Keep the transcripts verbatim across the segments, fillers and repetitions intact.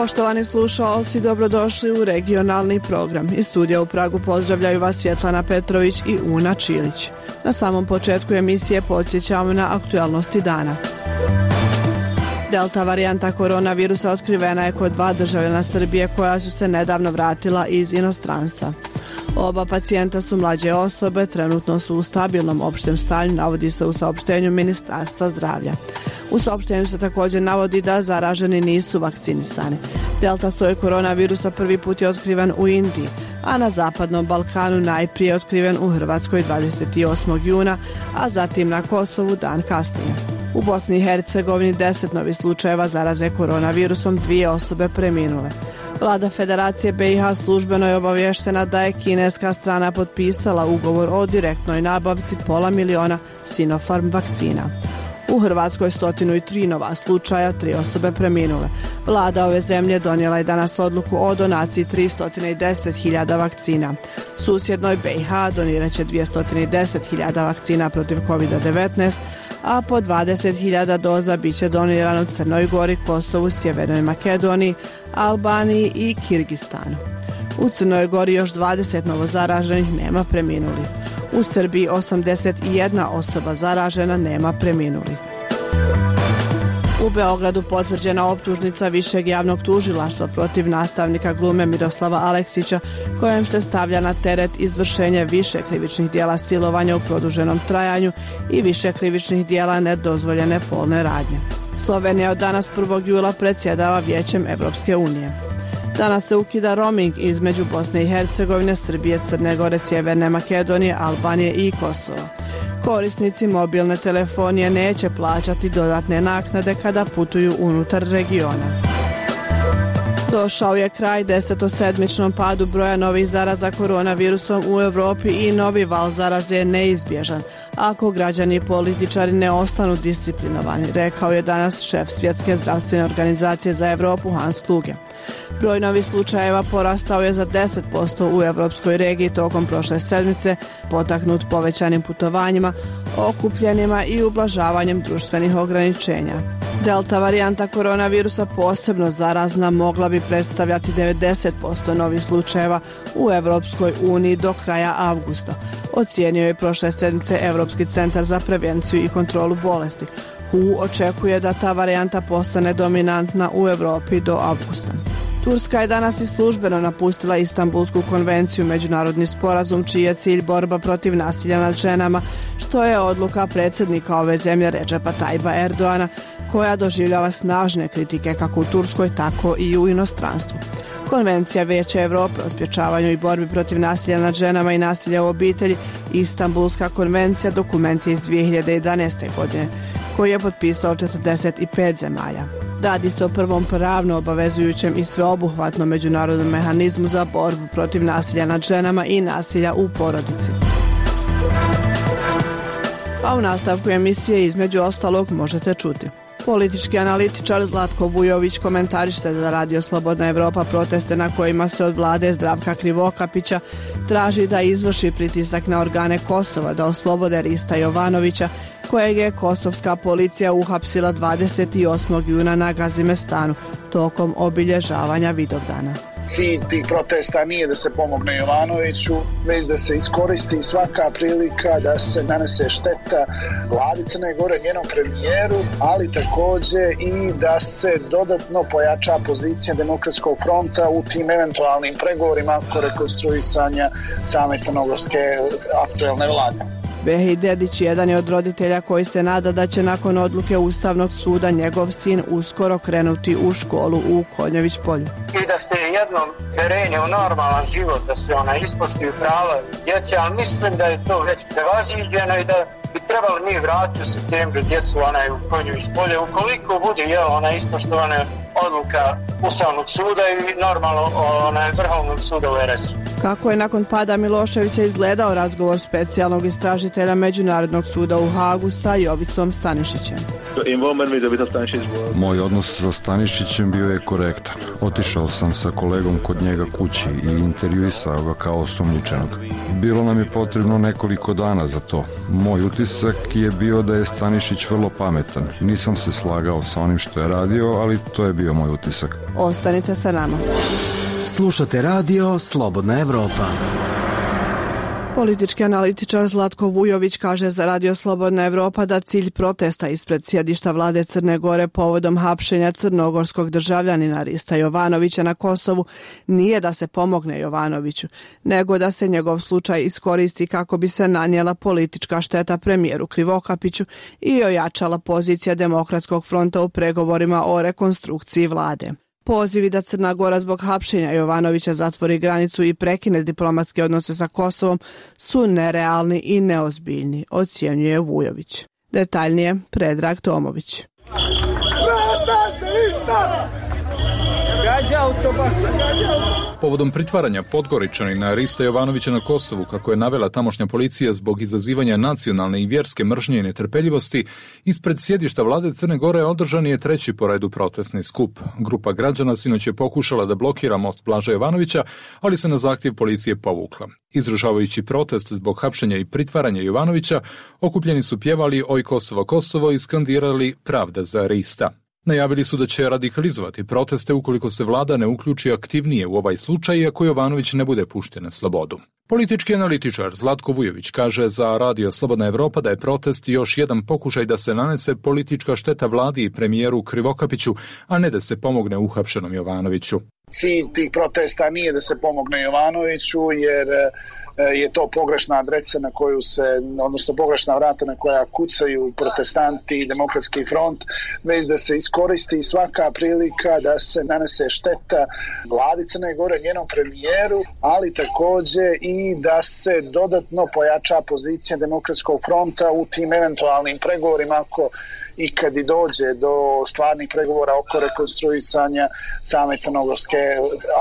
Poštovani slušaoci, dobrodošli u regionalni program. Iz studija u Pragu pozdravljaju vas Svjetlana Petrović i Una Čilić. Na samom početku emisije podsjećamo na aktualnosti dana. Delta varijanta koronavirusa otkrivena je kod dva državljana Srbije koja su se nedavno vratila iz inostranstva. Oba pacijenta su mlađe osobe, trenutno su u stabilnom opštem stanju, navodi se u saopštenju Ministarstva zdravlja. U saopštenju se također navodi da zaraženi nisu vakcinisani. Delta soj koronavirusa prvi put je otkriven u Indiji, a na Zapadnom Balkanu najprije otkriven u Hrvatskoj dvadeset osmog juna, a zatim na Kosovu dan kasnije. U Bosni i Hercegovini deset novih slučajeva zaraze koronavirusom, dvije osobe preminule. Vlada Federacije B i H službeno je obavještena da je kineska strana potpisala ugovor o direktnoj nabavci pola miliona Sinopharm vakcina. U Hrvatskoj stotinu tri nova slučaja, tri osobe preminule. Vlada ove zemlje donijela je danas odluku o donaciji tristo deset hiljada vakcina. Susjednoj B i H donirat će dvjesto deset hiljada vakcina protiv kovid devetnaest, a po dvadeset hiljada doza bit će donirano Crnoj Gori, Kosovu, Sjevernoj Makedoniji, Albaniji i Kirgistanu. U Crnoj Gori još dvadeset novozaraženih, nema preminulih. U Srbiji osamdeset jedna osoba zaražena, nema preminulih. U Beogradu potvrđena optužnica Višeg javnog tužilaštva protiv nastavnika glume Miroslava Aleksića, kojem se stavlja na teret izvršenje više krivičnih dijela silovanja u produženom trajanju i više krivičnih dijela nedozvoljene polne radnje. Slovenija od danas prvog jula predsjedava Vijećem Evropske unije. Danas se ukida roaming između Bosne i Hercegovine, Srbije, Crne Gore, Sjeverne Makedonije, Albanije i Kosova. Korisnici mobilne telefonije neće plaćati dodatne naknade kada putuju unutar regiona. Došao je kraj desetosedmičnom padu broja novih zaraza koronavirusom u Europi i novi val zaraze je neizbježan ako građani i političari ne ostanu disciplinovani, rekao je danas šef Svjetske zdravstvene organizacije za Europu Hans Kluge. Broj novih slučajeva porastao je za deset posto u europskoj regiji tokom prošle sedmice, potaknut povećanim putovanjima, okupljenima i ublažavanjem društvenih ograničenja. Delta varijanta koronavirusa posebno zarazna mogla bi predstavljati devedeset posto novih slučajeva u Evropskoj uniji do kraja avgusta, ocijenio je prošle sedmice Europski centar za prevenciju i kontrolu bolesti. W H O očekuje da ta varijanta postane dominantna u Europi do avgusta. Turska je danas i službeno napustila Istanbulsku konvenciju, međunarodni sporazum čiji je cilj borba protiv nasilja nad ženama, što je odluka predsjednika ove zemlje Redžepa Tajba Erdoana, koja doživljava snažne kritike kako u Turskoj, tako i u inostranstvu. Konvencija Vijeća Europe o sprječavanju i borbi protiv nasilja nad ženama i nasilja u obitelji, Istanbulska konvencija, dokument je iz dvije hiljade jedanaeste. godine, koji je potpisao četrdeset pet zemalja. Radi se o prvom pravno obavezujućem i sveobuhvatnom međunarodnom mehanizmu za borbu protiv nasilja nad ženama i nasilja u porodici. A u nastavku emisije između ostalog možete čuti. Politički analitičar Zlatko Vujović komentariše za Radio Slobodna Evropa proteste na kojima se od vlade Zdravka Krivokapića traži da izvrši pritisak na organe Kosova da oslobode Rista Jovanovića, kojeg je kosovska policija uhapsila dvadeset osmog juna na Gazimestanu tokom obilježavanja Vidovdana. Cilj tih protesta nije da se pomogne Jovanoviću, već da se iskoristi svaka prilika da se nanese šteta vladi Crne Gore, njenom premijeru, ali također i da se dodatno pojača pozicija Demokratskog fronta u tim eventualnim pregovorima oko rekonstruisanja same crnogorske aktuelne vlade. Behej Dedić jedan je od roditelja koji se nada da će nakon odluke Ustavnog suda njegov sin uskoro krenuti u školu u Konjović Polju. I da ste jednom terenje u normalan život, da se ona ispoštuju prava djece, ali mislim da je to već prevaziđeno i da bi trebali mi vratiti u septembru djecu onaj u Konjović Polje, ukoliko bude jel, ona ispoštovana odluka Ustavnog suda i normalno onaj Vrhovnog suda u R S-u. Kako je nakon pada Miloševića izgledao razgovor specijalnog istražitelja Međunarodnog suda u Hagu sa Jovicom Stanišićem? Moj odnos sa Stanišićem bio je korektan. Otišao sam sa kolegom kod njega kući i intervjuisao ga kao osumnjičenog. Bilo nam je potrebno nekoliko dana za to. Moj utisak je bio da je Stanišić vrlo pametan. Nisam se slagao sa onim što je radio, ali to je bio moj utisak. Ostanite sa nama. Slušate radio Slobodna Evropa. Politički analitičar Zlatko Vujović kaže za radio Slobodna Evropa da cilj protesta ispred sjedišta vlade Crne Gore povodom hapšenja crnogorskog državljanina Rista Jovanovića na Kosovu nije da se pomogne Jovanoviću, nego da se njegov slučaj iskoristi kako bi se nanijela politička šteta premijeru Krivokapiću i ojačala pozicija Demokratskog fronta u pregovorima o rekonstrukciji vlade. Pozivi da Crna Gora zbog hapšenja Jovanovića zatvori granicu i prekine diplomatske odnose sa Kosovom su nerealni i neozbiljni, ocjenjuje Vujović. Detaljnije Predrag Tomović. Povodom pritvaranja Podgoričanina Rista Jovanovića na Kosovu, kako je navela tamošnja policija zbog izazivanja nacionalne i vjerske mržnje i netrpeljivosti, ispred sjedišta vlade Crne Gore održan je treći po redu protestni skup. Grupa građana sinoć je pokušala da blokira most Blaža Jovanovića, ali se na zahtjev policije povukla. Izražavajući protest zbog hapšenja i pritvaranja Jovanovića, okupljeni su pjevali Oj Kosovo, Kosovo i skandirali Pravda za Rista. Najavili su da će radikalizovati proteste ukoliko se vlada ne uključi aktivnije u ovaj slučaj i ako Jovanović ne bude pušten na slobodu. Politički analitičar Zlatko Vujović kaže za radio Slobodna Evropa da je protest još jedan pokušaj da se nanese politička šteta vladi i premijeru Krivokapiću, a ne da se pomogne uhapšenom Jovanoviću. Cilj tih protesta nije da se pomogne Jovanoviću, jer je to pogrešna adresa na koju se, odnosno pogrešna vrata na koja kucaju protestanti i Demokratski front, već da se iskoristi svaka prilika da se nanese šteta vladi Crne Gore, njenom premijeru, ali također i da se dodatno pojača pozicija Demokratskog fronta u tim eventualnim pregovorima ako i kad i dođe do stvarnih pregovora oko rekonstruisanja same crnogorske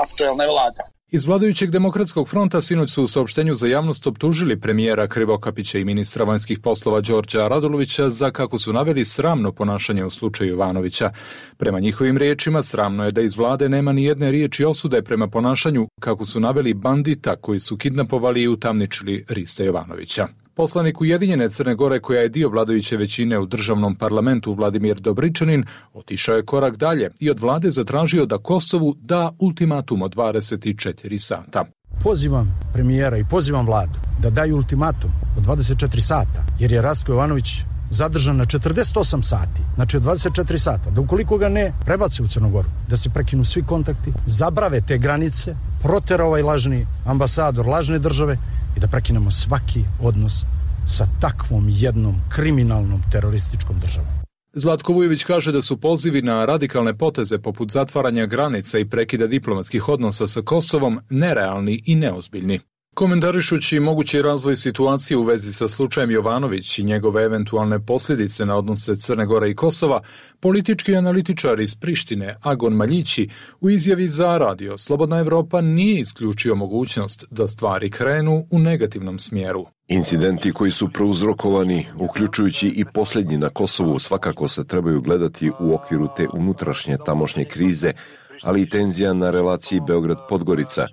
aktuelne vlade. Iz vladajućeg Demokratskog fronta sinoć su u saopštenju za javnost optužili premijera Krivokapića i ministra vanjskih poslova Đorđa Radulovića za, kako su naveli, sramno ponašanje u slučaju Jovanovića. Prema njihovim riječima, sramno je da iz vlade nema ni jedne riječi osude prema ponašanju, kako su naveli, bandita koji su kidnapovali i utamničili Rista Jovanovića. Poslanik Ujedinjene Crne Gore, koja je dio vladajuće većine u državnom parlamentu, Vladimir Dobričanin, otišao je korak dalje i od vlade zatražio da Kosovu da ultimatum od dvadeset četiri sata. Pozivam premijera i pozivam vladu da daju ultimatum od dvadeset četiri sata, jer je Rastko Jovanović zadržan na četrdeset osam sati, znači od dvadeset četiri sata, da ukoliko ga ne prebace u Crnu Goru, da se prekinu svi kontakti, zabrave te granice, protera ovaj lažni ambasador lažne države i da prekinemo svaki odnos sa takvom jednom kriminalnom terorističkom državom. Zlatko Vujović kaže da su pozivi na radikalne poteze poput zatvaranja granica i prekida diplomatskih odnosa sa Kosovom nerealni i neozbiljni. Komentarišući mogući razvoj situacije u vezi sa slučajem Jovanović i njegove eventualne posljedice na odnose Crne Gore i Kosova, politički analitičar iz Prištine Agon Maljići u izjavi za radio Slobodna Evropa nije isključio mogućnost da stvari krenu u negativnom smjeru. Incidenti koji su prouzrokovani, uključujući i posljednji na Kosovu, svakako se trebaju gledati u okviru te unutrašnje tamošnje krize, ali i tenzija na relaciji Beograd-Podgorica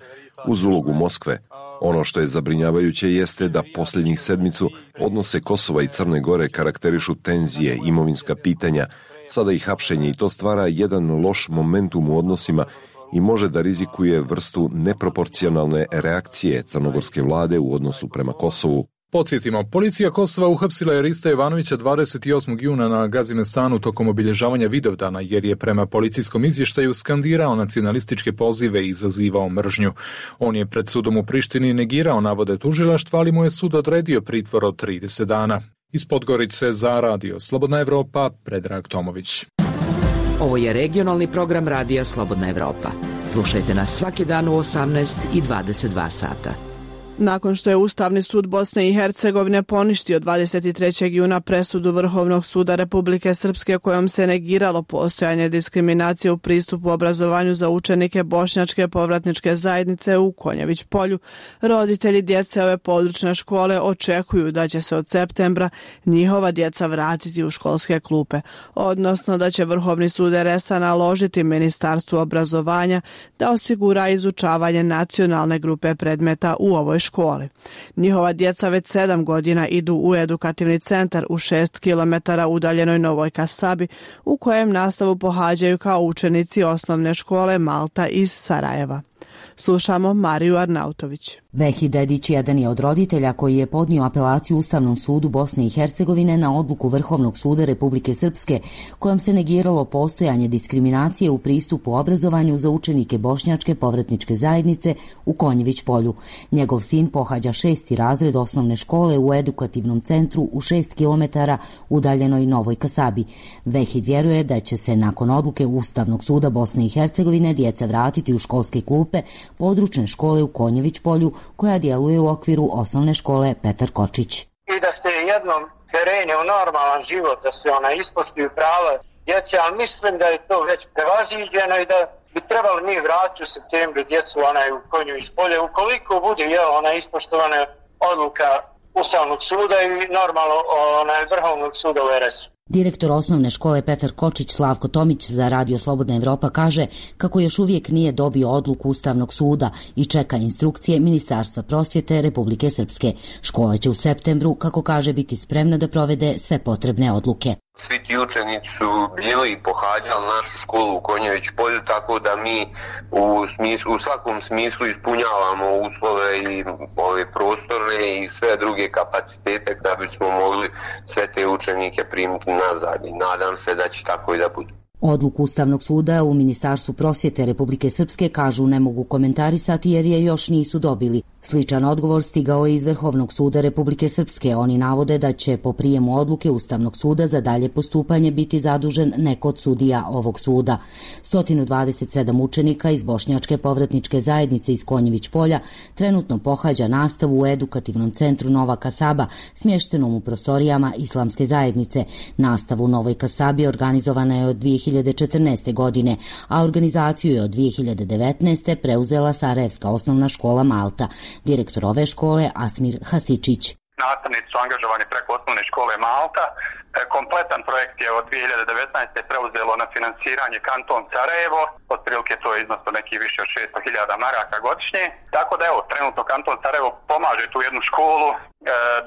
uz ulogu Moskve. Ono što je zabrinjavajuće jeste da posljednjih sedmicu odnose Kosova i Crne Gore karakterišu tenzije, imovinska pitanja, sada i hapšenje, i to stvara jedan loš momentum u odnosima i može da rizikuje vrstu neproporcionalne reakcije crnogorske vlade u odnosu prema Kosovu. Podsjetimo, policija Kosova uhapsila je Rista Jovanovića dvadeset osmog juna na Gazimestanu tokom obilježavanja Vidovdana, jer je prema policijskom izvještaju skandirao nacionalističke pozive i izazivao mržnju. On je pred sudom u Prištini negirao navode tužilaštva, ali mu je sud odredio pritvor od trideset dana. Iz Podgorice za radio Slobodna Evropa, Predrag Tomović. Ovo je regionalni program radija Slobodna Evropa. Slušajte nas svaki dan u osamnaest i dvadeset dva sata. Nakon što je Ustavni sud Bosne i Hercegovine poništio dvadeset trećeg juna presudu Vrhovnog suda Republike Srpske kojom se negiralo postojanje diskriminacije u pristupu obrazovanju za učenike bošnjačke povratničke zajednice u Konjević polju, roditelji djece ove područne škole očekuju da će se od septembra njihova djeca vratiti u školske klupe, odnosno da će Vrhovni sud er es a naložiti Ministarstvu obrazovanja da osigura izučavanje nacionalne grupe predmeta u ovoj školi. Njihova djeca već sedam godina idu u edukativni centar u šest kilometara udaljenoj Novoj Kasabi, u kojem nastavu pohađaju kao učenici osnovne škole Malta iz Sarajeva. Slušamo Mariju Arnautović. Vehi Dedić jedan je od roditelja koji je podnio apelaciju Ustavnom sudu Bosne i Hercegovine na odluku Vrhovnog suda Republike Srpske kojom se negiralo postojanje diskriminacije u pristupu obrazovanju za učenike bošnjačke povratničke zajednice u Konjević polju. Njegov sin pohađa šesti razred osnovne škole u edukativnom centru u šest kilometara udaljenoj Novoj Kasabi. Vehid vjeruje da će se nakon odluke Ustavnog suda Bosne i Hercegovine djeca vratiti u školske klupe područne škole u Konjević polju koja djeluje u okviru osnovne škole Petar Kočić. I da ste jednom krenuli u normalan život, da se ona ispoštuju prava djece, ali mislim da je to već prevaziđeno i da bi trebali mi vratiti u septembru djecu onaj u Konjević polje, ukoliko bude jel, ona ispoštovana odluka Ustavnog suda i normalno onaj Vrhovnog suda u er es u. Direktor osnovne škole Petar Kočić Slavko Tomić za Radio Slobodna Evropa kaže kako još uvijek nije dobio odluku Ustavnog suda i čeka instrukcije Ministarstva prosvjete Republike Srpske. Škola će u septembru, kako kaže, biti spremna da provede sve potrebne odluke. Svi ti učenici su bili i pohađali našu školu u Konjević polju, tako da mi u, smislu, u svakom smislu ispunjavamo uslove i ove prostorne i sve druge kapacitete da bismo mogli sve te učenike primiti nazad i nadam se da će tako i da bude. Odluku Ustavnog suda u Ministarstvu prosvjete Republike Srpske kažu ne mogu komentarisati jer je još nisu dobili. Sličan odgovor stigao je iz Vrhovnog suda Republike Srpske. Oni navode da će po prijemu odluke Ustavnog suda za dalje postupanje biti zadužen neko od sudija ovog suda. sto dvadeset sedam učenika iz bošnjačke povratničke zajednice iz Konjević polja trenutno pohađa nastavu u edukativnom centru Nova Kasaba, smještenom u prostorijama Islamske zajednice. Nastavu u Novoj Kasabi organizovana je od dvije hiljade četrnaeste. godine, a organizaciju je od dvije hiljade devetnaeste. preuzela Sarajevska osnovna škola Malta. Direktor ove škole Asmir Hasičić. Nastavnici su angažovani preko osnovne škole Malta. Kompletan projekt je od dvije hiljade devetnaeste. preuzelo na finansiranje kanton Sarajevo. Otprilike to je iznosno neki više od šesto hiljada maraka godišnje. Tako da evo, trenutno kanton Sarajevo pomaže tu jednu školu e,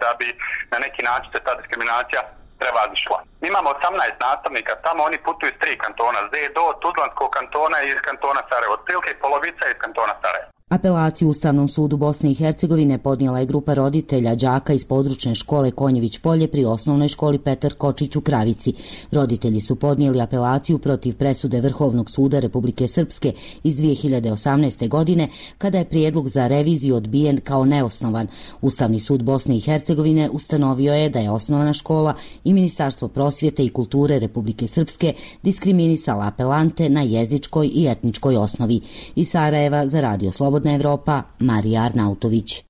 da bi na neki način se ta diskriminacija prevazišla. Imamo osamnaest nastavnika, tamo oni putuju iz tri kantona, Zedo, Tuzlanskog kantona i iz kantona Sarajevo. Otprilike polovica iz kantona Sarajevo. Apelaciju Ustavnom sudu Bosne i Hercegovine podnijela je grupa roditelja đaka iz područne škole Konjević polje pri osnovnoj školi Petar Kočić u Kravici. Roditelji su podnijeli apelaciju protiv presude Vrhovnog suda Republike Srpske iz dvije hiljade osamnaeste. godine, kada je prijedlog za reviziju odbijen kao neosnovan. Ustavni sud Bosne i Hercegovine ustanovio je da je osnovna škola i Ministarstvo prosvjete i kulture Republike Srpske diskriminisala apelante na jezičkoj i etničkoj osnovi. Iz Sarajeva za Radio Slobodna Evropa, Marija Arnautović.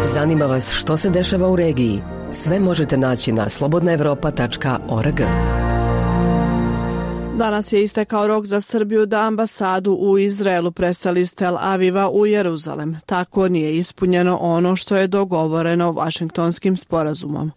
Zanima vas što se dešava u regiji? Sve možete naći na slobodna evropa tačka org. Danas je istekao rok za Srbiju da ambasadu u Izraelu preseli iz Tel Aviva u Jeruzalem. Tako nije ispunjeno ono što je dogovoreno Vašingtonskim sporazumom.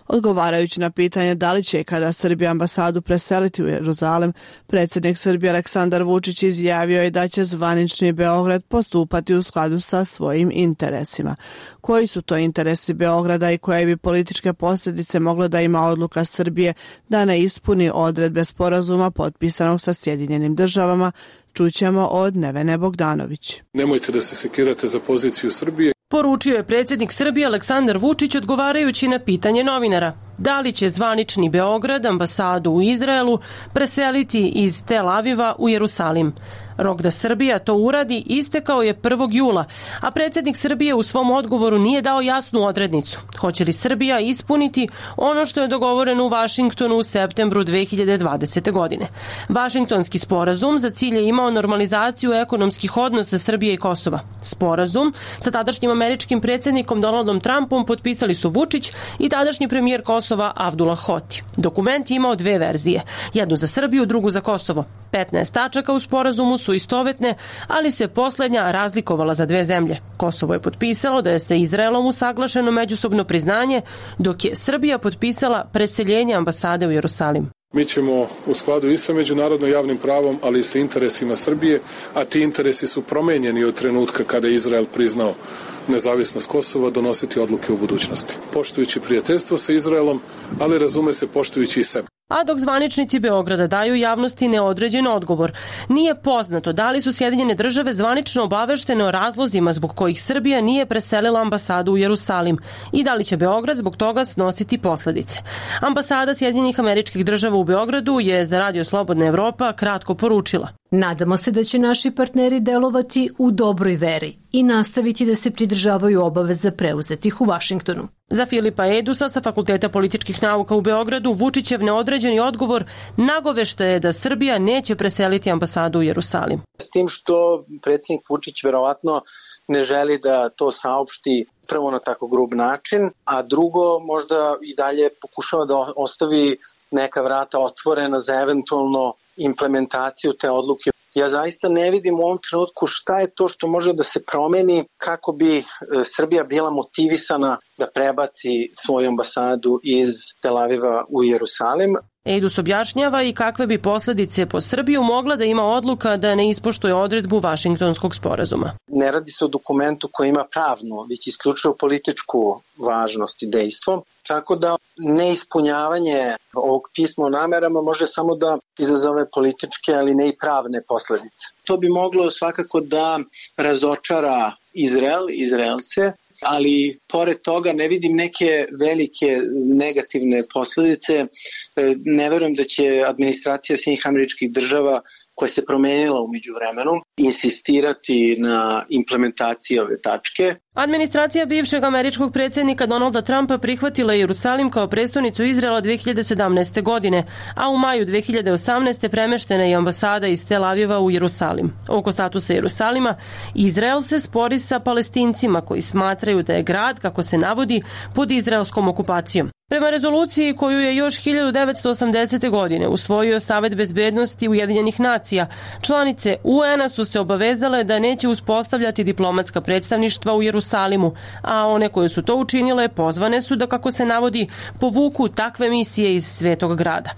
Odgovarajući na pitanje da li će kada Srbija ambasadu preseliti u Jeruzalem, predsjednik Srbije Aleksandar Vučić izjavio je da će zvanični Beograd postupati u skladu sa svojim interesima. Koji su to interesi Beograda i koje bi političke posljedice mogla da ima odluka Srbije da ne ispuni odredbe sporazuma potpisanog sa Sjedinjenim državama, čućemo od Nevene Bogdanović. Nemojte da se sekirate za poziciju Srbije. Poručio je predsjednik Srbije Aleksandar Vučić odgovarajući na pitanje novinara. Da li će zvanični Beograd ambasadu u Izraelu preseliti iz Tel Aviva u Jerusalim? Rok da Srbija to uradi istekao je prvog jula, a predsjednik Srbije u svom odgovoru nije dao jasnu odrednicu. Hoće li Srbija ispuniti ono što je dogovoreno u Vašingtonu u septembru dve hiljade dvadesete. godine? Vašingtonski sporazum za cilj je imao normalizaciju ekonomskih odnosa Srbije i Kosova. Sporazum sa tadašnjim američkim predsjednikom Donaldom Trumpom potpisali su Vučić i tadašnji premijer Kosova Avdullah Hoti. Dokument je imao dve verzije, jednu za Srbiju, drugu za Kosovo. petnaest tačaka u sporazumu su istovetne, ali se posljednja razlikovala za dve zemlje. Kosovo je potpisalo da je sa Izraelom usaglašeno međusobno priznanje, dok je Srbija potpisala preseljenje ambasade u Jerusalim. Mi ćemo u skladu i sa međunarodno javnim pravom, ali i sa interesima Srbije, a ti interesi su promenjeni od trenutka kada je Izrael priznao nezavisnost Kosova, donositi odluke u budućnosti. Poštujući prijateljstvo sa Izraelom, ali razume se poštujući i sebe. A dok zvaničnici Beograda daju javnosti neodređen odgovor, nije poznato da li su Sjedinjene države zvanično obaveštene o razlozima zbog kojih Srbija nije preselila ambasadu u Jerusalim i da li će Beograd zbog toga snositi posledice. Ambasada Sjedinjenih Američkih Država u Beogradu je za Radio Slobodna Evropa kratko poručila: Nadamo se da će naši partneri delovati u dobroj veri i nastaviti da se pridržavaju obaveza preuzetih u Vašingtonu. Za Filipa Edusa sa Fakulteta političkih nauka u Beogradu, Vučićev neodređeni odgovor nagovešta je da Srbija neće preseliti ambasadu u Jerusalim. S tim što predsjednik Vučić verovatno ne želi da to saopšti prvo na tako grub način, a drugo možda i dalje pokušava da ostavi neka vrata otvorena za eventualno implementaciju te odluke. Ja zaista ne vidim u ovom trenutku šta je to što može da se promeni kako bi Srbija bila motivisana da prebaci svoju ambasadu iz Tel Aviva u Jerusalim. Edus objašnjava i kakve bi posljedice po Srbiju mogla da ima odluka da ne ispoštuje odredbu Vašingtonskog sporazuma. Ne radi se o dokumentu koji ima pravnu, već isključivo političku važnost i dejstvo, tako da neispunjavanje ovog pisma o namerama može samo da izazove političke, ali ne i pravne posljedice. To bi moglo svakako da razočara Izrael, Izraelce, ali pored toga ne vidim neke velike negativne posljedice. Ne verujem da će administracija Sjedinjenih Američkih Država, koja se promenila u međuvremenu, insistirati na implementaciji ove tačke. Administracija bivšeg američkog predsjednika Donalda Trumpa prihvatila je Jerusalim kao prestonicu Izraela dve hiljade sedamnaeste. godine, a u maju dve hiljade osamnaeste. premeštena je ambasada iz Tel Aviva u Jerusalim. Oko statusa Jerusalima, Izrael se spori sa Palestincima koji smatraju da je grad, kako se navodi, pod izraelskom okupacijom. Prema rezoluciji koju je još hiljadu devetsto osamdesete. godine usvojio Savet bezbednosti Ujedinjenih nacija, članice U N-a su se obavezale da neće uspostavljati diplomatska predstavništva u Jerusalimu, a one koje su to učinile pozvane su da, kako se navodi, povuku takve misije iz Svetog grada.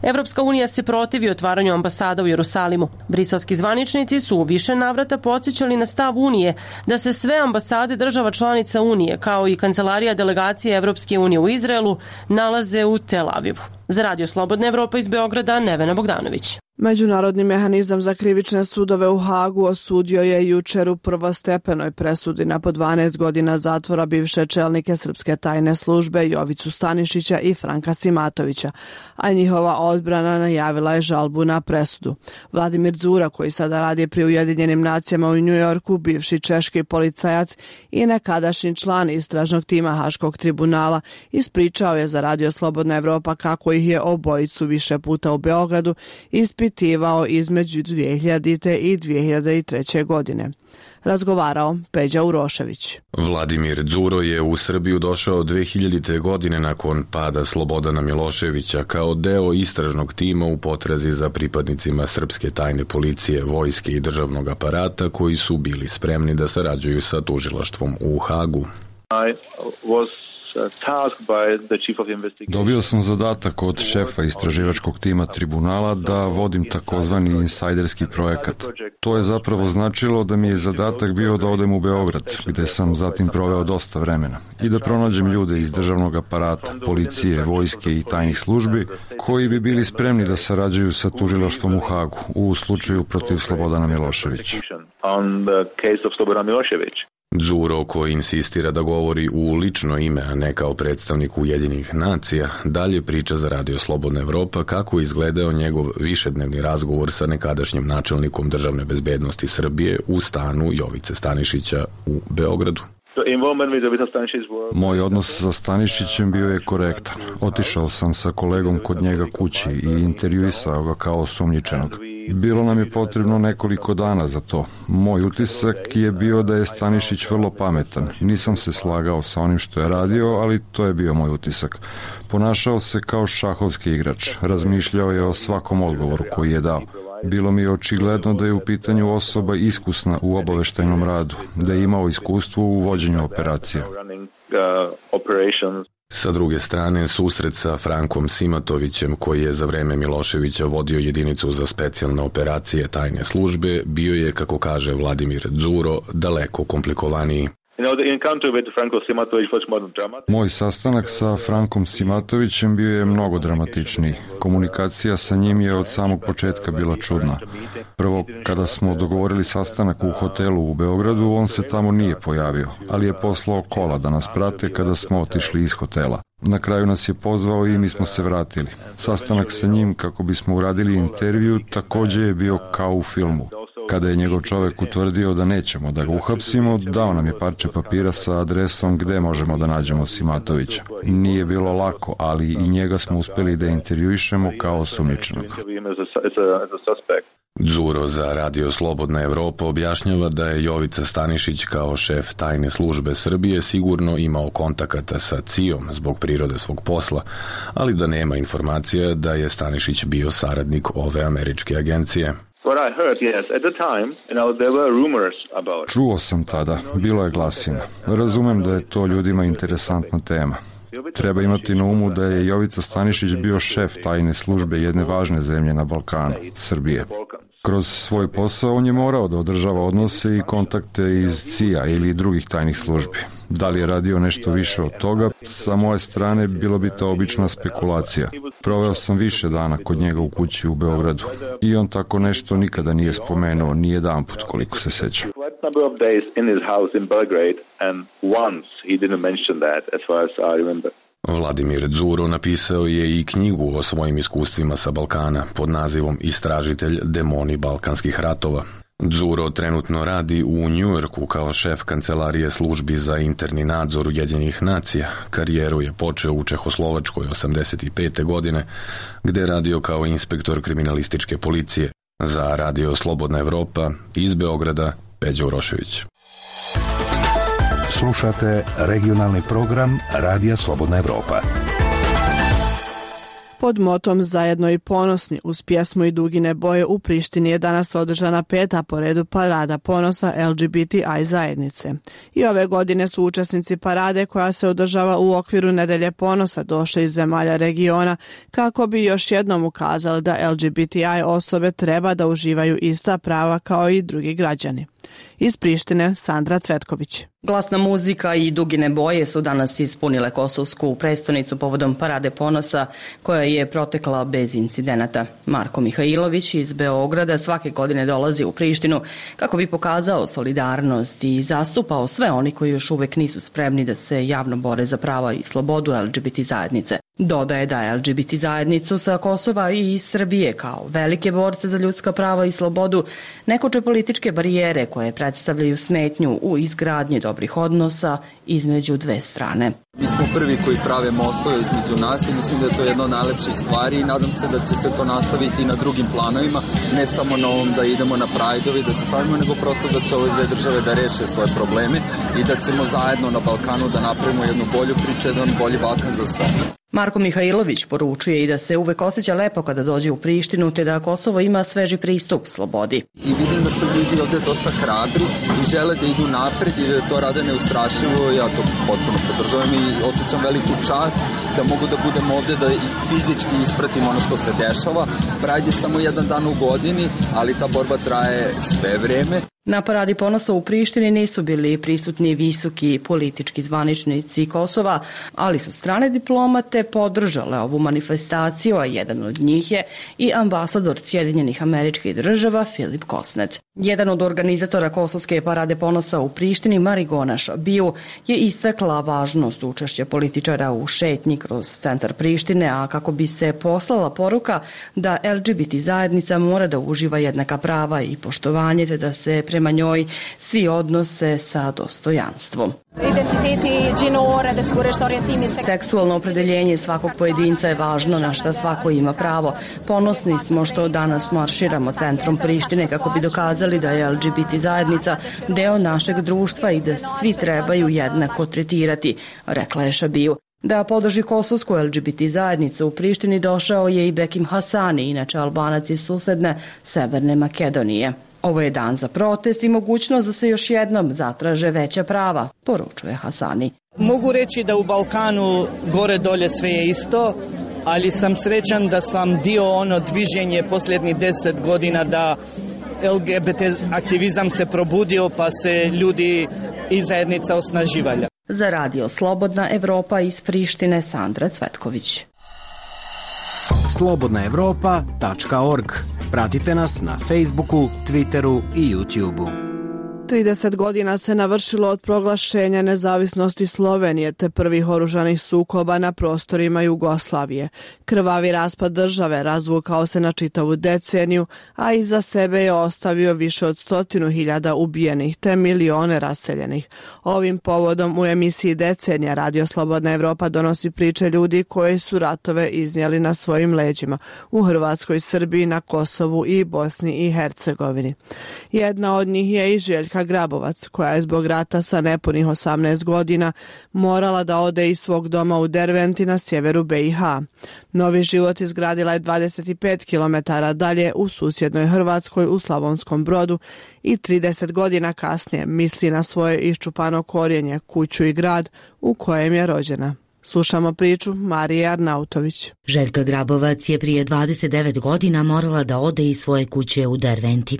Evropska unija se protivi otvaranju ambasada u Jerusalimu. Briselski zvaničnici su u više navrata podsjećali na stav Unije da se sve ambasade država članica Unije, kao i kancelarija delegacije Evropske unije u Izraelu, nalaze u Tel Avivu. Za Radio Slobodna Evropa iz Beograda, Nevena Bogdanović. Međunarodni mehanizam za krivične sudove u Hagu osudio je jučer u prvostepenoj presudi na po dvanaest godina zatvora bivše čelnike srpske tajne službe Jovicu Stanišića i Franka Simatovića, a njihova odbrana najavila je žalbu na presudu. Vladimir Dzura, koji sada radi pri Ujedinjenim nacijama u Njujorku, bivši češki policajac i nekadašnji član istražnog tima Haškog tribunala, ispričao je za Radio Slobodna Evropa kako ih je obojicu više puta u Beogradu ispitivao između dvije hiljadite. i dvije hiljade treće. godine. Razgovarao Peđa Urošević. Vladimir Dzuro je u Srbiju došao dve hiljadite. godine nakon pada Slobodana Miloševića kao deo istražnog tima u potrazi za pripadnicima srpske tajne policije, vojske i državnog aparata koji su bili spremni da sarađuju sa tužilaštvom u Hagu. I was Dobio sam zadatak od šefa istraživačkog tima tribunala da vodim takozvani insajderski projekat. To je zapravo značilo da mi je zadatak bio da odem u Beograd, gde sam zatim proveo dosta vremena, i da pronađem ljude iz državnog aparata, policije, vojske i tajnih službi koji bi bili spremni da sarađuju sa tužilaštvom u Hagu u slučaju protiv Slobodana Miloševića. Đuro, koji insistira da govori u lično ime, a ne kao predstavnik Ujedinjenih nacija, dalje priča za Radio Slobodna Evropa kako je izgledao njegov višednevni razgovor sa nekadašnjim načelnikom državne bezbednosti Srbije u stanu Jovice Stanišića u Beogradu. Moj odnos sa Stanišićem bio je korektan. Otišao sam sa kolegom kod njega kući i intervjuisao ga kao osumnjičenog. Bilo nam je potrebno nekoliko dana za to. Moj utisak je bio da je Stanišić vrlo pametan. Nisam se slagao sa onim što je radio, ali to je bio moj utisak. Ponašao se kao šahovski igrač. Razmišljao je o svakom odgovoru koji je dao. Bilo mi je očigledno da je u pitanju osoba iskusna u obaveštajnom radu, da je imao iskustvo u vođenju operacija. Sa druge strane, susret sa Frankom Simatovićem, koji je za vreme Miloševića vodio jedinicu za specijalne operacije tajne službe, bio je, kako kaže Vladimir Đuro, daleko komplikovaniji. Moj sastanak sa Frankom Simatovićem bio je mnogo dramatičniji. Komunikacija sa njim je od samog početka bila čudna. Prvo, kada smo dogovorili sastanak u hotelu u Beogradu, on se tamo nije pojavio, ali je poslao kola da nas prate kada smo otišli iz hotela. Na kraju nas je pozvao i mi smo se vratili. Sastanak sa njim kako bismo uradili intervju takođe je bio kao u filmu. Kada je njegov čovek utvrdio da nećemo da ga uhapsimo, dao nam je parče papira sa adresom gde možemo da nađemo Simatovića. Nije bilo lako, ali i njega smo uspeli da intervjuišemo kao osumnjičenog. Đuro za Radio Slobodna Evropa objašnjava da je Jovica Stanišić kao šef tajne službe Srbije sigurno imao kontakata sa C I O-om zbog prirode svog posla, ali da nema informacija da je Stanišić bio saradnik ove američke agencije. Čuo sam tada, bilo je glasina. Razumem da je to ljudima interesantna tema. Treba imati na umu da je Jovica Stanišić bio šef tajne službe jedne važne zemlje na Balkanu, Srbije. Kroz svoj posao on je morao da održava odnose i kontakte iz C I A ili drugih tajnih službi. Da li je radio nešto više od toga, sa moje strane bilo bi to obična spekulacija. Proveo sam više dana kod njega u kući u Beogradu i on tako nešto nikada nije spomenuo, ni jedan put koliko se sećam. Vladimir Đuro napisao je i knjigu o svojim iskustvima sa Balkana pod nazivom Istražitelj demoni balkanskih ratova. Đuro trenutno radi u Njujorku kao šef kancelarije službi za interni nadzor Ujedinjenih nacija. Karijeru je počeo u Čehoslovačkoj osamdeset pete godine, gde je radio kao inspektor kriminalističke policije. Za Radio Slobodna Evropa iz Beograda, Peđa Urošević. Slušate regionalni program Radija Slobodna Evropa. Pod motom Zajedno i ponosni uz pjesmu I dugine boje u Prištini je danas održana peta po redu parada ponosa L G B T I zajednice. I ove godine su učesnici parade koja se održava u okviru Nedelje ponosa došli iz zemalja regiona kako bi još jednom ukazali da L G B T I osobe treba da uživaju ista prava kao i drugi građani. Iz Prištine, Sandra Cvetković. Glasna muzika i dugine boje su danas ispunile kosovsku prestonicu povodom Parade ponosa koja je protekla bez incidenata. Marko Mihajlović iz Beograda svake godine dolazi u Prištinu kako bi pokazao solidarnost i zastupao sve oni koji još uvek nisu spremni da se javno bore za prava i slobodu L G B T zajednice. Dodaje da L G B T zajednicu sa Kosova i iz Srbije kao velike borce za ljudska prava i slobodu ne koče političke barijere koje predstavljaju smetnju u izgradnji dobrih odnosa između dve strane. Mi smo prvi koji prave mostove između nas i mislim da je to jedna od najlepših stvari i nadam se da će se to nastaviti i na drugim planovima, ne samo na ovom da idemo na Prajdovi, da se stavimo, nego prosto da će ove dve države da reše svoje probleme i da ćemo zajedno na Balkanu da napravimo jednu bolju priču, jedan bolji Balkan za sve. Marko Mihajlović poručuje i da se uvek osjeća lepo kada dođe u Prištinu, te da Kosovo ima sveži pristup slobodi. I vidim da su ljudi ovde dosta hrabri i žele da idu napred i da to rade neustrašivo. Ja to potpuno podržavam i osjećam veliku čast da mogu da budem ovde, da i fizički ispratim ono što se dešava. Pride je samo jedan dan u godini, ali ta borba traje sve vreme. Na Paradi ponosa u Prištini nisu bili prisutni visoki politički zvaničnici Kosova, ali su strane diplomate podržale ovu manifestaciju, a jedan od njih je i ambasador Sjedinjenih Američkih Država Filip Kosnet. Jedan od organizatora Kosovske parade ponosa u Prištini, Marigona Šabiju, je istakla važnost učešća političara u šetnji kroz centar Prištine, a kako bi se poslala poruka da L G B T zajednica mora da uživa jednaka prava i poštovanje, te da se prema njoj svi odnose sa dostojanstvom. Seksualno opredeljenje svakog pojedinca je važno, na šta svako ima pravo. Ponosni smo što danas marširamo centrom Prištine kako bi dokazali da je L G B T zajednica deo našeg društva i da svi trebaju jednako tretirati, rekla je Šabiju. Da podrži kosovsku L G B T zajednicu u Prištini došao je i Bekim Hasani, inače Albanac iz susedne Severne Makedonije. Ovo je dan za protest i mogućnost da se još jednom zatraže veća prava, poručuje Hasani. Mogu reći da u Balkanu gore dolje sve je isto, ali sam srećan da sam dio ono dviženje posljednjih deset godina da L G B T aktivizam se probudio pa se ljudi i zajednica osnaživalja. Za radio Slobodna Evropa iz Prištine, Sandra Cvetković. slobodna evropa tačka org. Pratite nas na Facebooku, Twitteru i YouTubeu. trideset godina se navršilo od proglašenja nezavisnosti Slovenije te prvih oružanih sukoba na prostorima Jugoslavije. Krvavi raspad države razvukao se na čitavu deceniju, a iza sebe je ostavio više od stotinu hiljada ubijenih te milione raseljenih. Ovim povodom u emisiji Decenija Radio Slobodna Evropa donosi priče ljudi koji su ratove iznijeli na svojim leđima u Hrvatskoj, Srbiji, na Kosovu i Bosni i Hercegovini. Jedna od njih je i Željka Grabovac, koja je zbog rata sa nepunih osamnaest godina morala da ode iz svog doma u Derventi na sjeveru B i H. Novi život izgradila je dvadeset pet kilometara dalje u susjednoj Hrvatskoj u Slavonskom Brodu i trideset godina kasnije misli na svoje iščupano korijenje, kuću i grad u kojem je rođena. Slušamo priču Marije Arnautović. Željka Grabovac je prije dvadeset devet godina morala da ode iz svoje kuće u Derventi.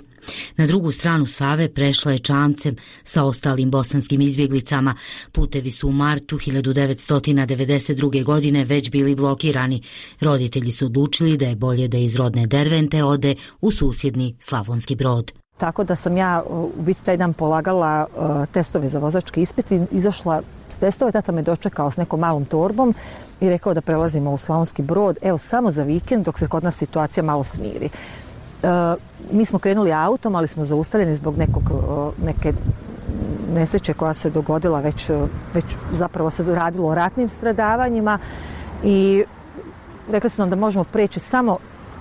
Na drugu stranu Save prešla je čamcem sa ostalim bosanskim izbjeglicama. Putevi su u martu hiljadu devetsto devedeset druge. godine već bili blokirani. Roditelji su odlučili da je bolje da iz rodne Dervente ode u susjedni Slavonski Brod. Tako da sam ja u biti taj dan polagala uh, testove za vozački ispit i izašla s testove. Tata me dočekao s nekom malom torbom i rekao da prelazimo u Slavonski Brod, evo samo za vikend dok se kod nas situacija malo smiri. Uh, mi smo krenuli autom, ali smo zaustavljeni zbog nekog, uh, neke nesreće koja se dogodila, već, uh, već zapravo se radilo o ratnim stradavanjima i rekli su nam da možemo preći samo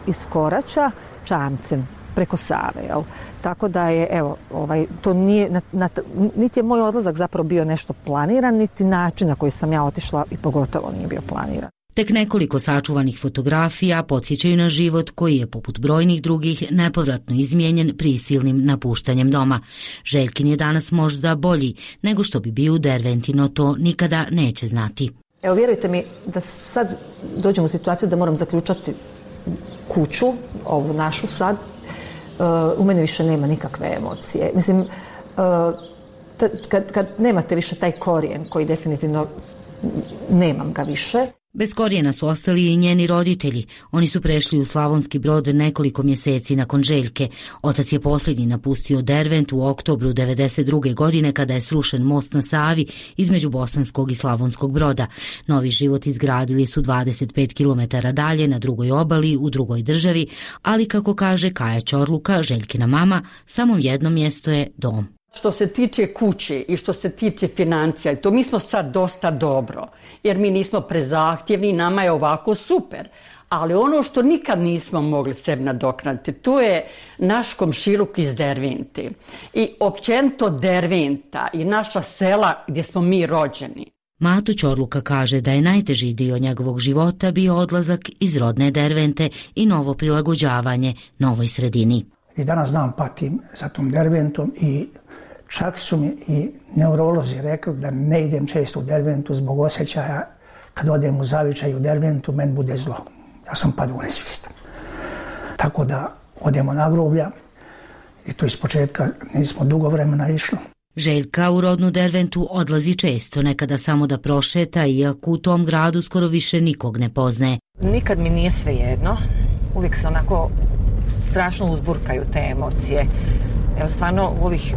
iz Korača čamcem preko Save, jel? Tako da je, evo, ovaj, to nije, na, na, niti je moj odlazak zapravo bio nešto planiran, niti način na koji sam ja otišla i pogotovo nije bio planiran. Tek nekoliko sačuvanih fotografija podsjećaju na život koji je, poput brojnih drugih, nepovratno izmijenjen prisilnim napuštanjem doma. Željkin je danas možda bolji nego što bi bio u Derventi, no to nikada neće znati. Evo, vjerujte mi da sad dođem u situaciju da moram zaključati kuću, ovu našu sad. Uh, u mene više nema nikakve emocije. Mislim, uh, t- kad, kad nemate više taj korijen koji definitivno nemam ga više. Bez korijena su ostali i njeni roditelji. Oni su prešli u Slavonski Brod nekoliko mjeseci nakon Željke. Otac je posljednji napustio Dervent u oktobru devedeset druge. godine kada je srušen most na Savi između Bosanskog i Slavonskog Broda. Novi život izgradili su dvadeset pet kilometara dalje na drugoj obali u drugoj državi, ali kako kaže Kaja Ćorluka, Željkina mama, samo jedno mjesto je dom. Što se tiče kuće i što se tiče financija, to mi smo sad dosta dobro, jer mi nismo prezahtjevni, nama je ovako super. Ali ono što nikad nismo mogli sebi nadoknaditi, to je naš komšiluk iz Dervente. I općenito Derventa i naša sela gdje smo mi rođeni. Mato Ćorluka kaže da je najteži dio njegovog života bio odlazak iz rodne Dervente i novo prilagođavanje novoj sredini. I danas dan patim za tom Derventom i čak su mi i neurolozi rekli da ne idem često u Derventu zbog osjećaja kad odem u Zavičaj u Derventu, meni bude zlo. Ja sam padu u nesvijest. Tako da odemo na groblja i to iz početka nismo dugo vremena išli. Željka u rodnu Derventu odlazi često, nekada samo da prošeta, iako u tom gradu skoro više nikog ne poznaje. Nikad mi nije svejedno. Uvijek se onako strašno uzburkaju te emocije. Evo stvarno u ovih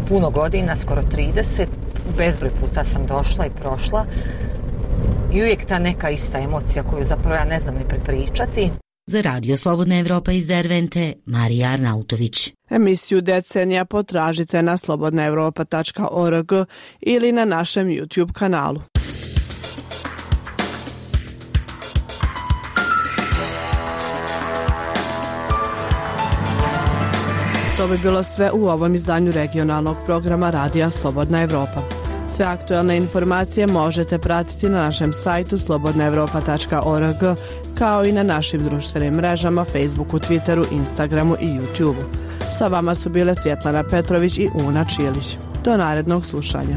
puno godina, skoro trideset, bezbroj puta sam došla i prošla i uvijek ta neka ista emocija koju zapravo ja ne znam ni prepričati. Za Radio Slobodna Evropa iz Dervente, Marija Arnautović. Emisiju Decenija potražite na slobodna evropa tačka org ili na našem YouTube kanalu. To bi bilo sve u ovom izdanju regionalnog programa Radija Slobodna Evropa. Sve aktuelne informacije možete pratiti na našem sajtu slobodna evropa tačka org, kao i na našim društvenim mrežama Facebooku, Twitteru, Instagramu i YouTubeu. Sa vama su bile Svjetlana Petrović i Una Čilić. Do narednog slušanja.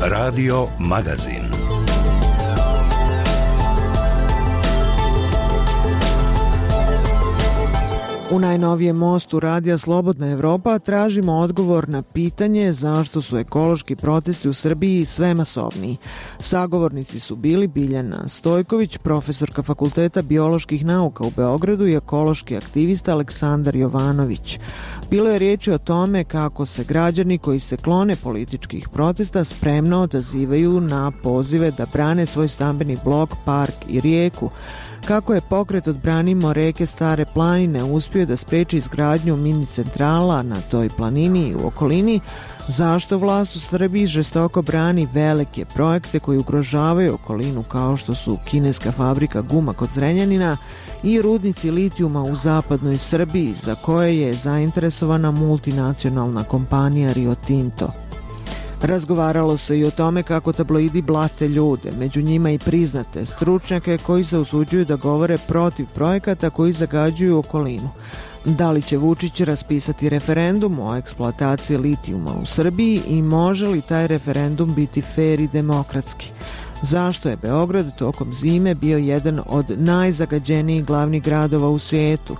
Radio Magazin. U najnovijem mostu Radija Slobodna Evropa tražimo odgovor na pitanje zašto su ekološki protesti u Srbiji sve masovniji. Sagovornici su bili Biljana Stojković, profesorka Fakulteta bioloških nauka u Beogradu, i ekološki aktivista Aleksandar Jovanović. Bilo je riječi o tome kako se građani koji se klone političkih protesta spremno odazivaju na pozive da brane svoj stambeni blok, park i rijeku, kako je pokret Odbranimo reke Stare planine uspio da spreči izgradnju mini centrala na toj planini i u okolini, zašto vlast u Srbiji žestoko brani velike projekte koji ugrožavaju okolinu kao što su kineska fabrika guma kod Zrenjanina i rudnici litijuma u zapadnoj Srbiji za koje je zainteresovana multinacionalna kompanija Rio Tinto. Razgovaralo se i o tome kako tabloidi blate ljude, među njima i priznate stručnjake koji se usuđuju da govore protiv projekata koji zagađuju okolinu. Da li će Vučić raspisati referendum o eksploataciji litijuma u Srbiji i može li taj referendum biti fer i demokratski? Zašto je Beograd tokom zime bio jedan od najzagađenijih glavnih gradova u svijetu?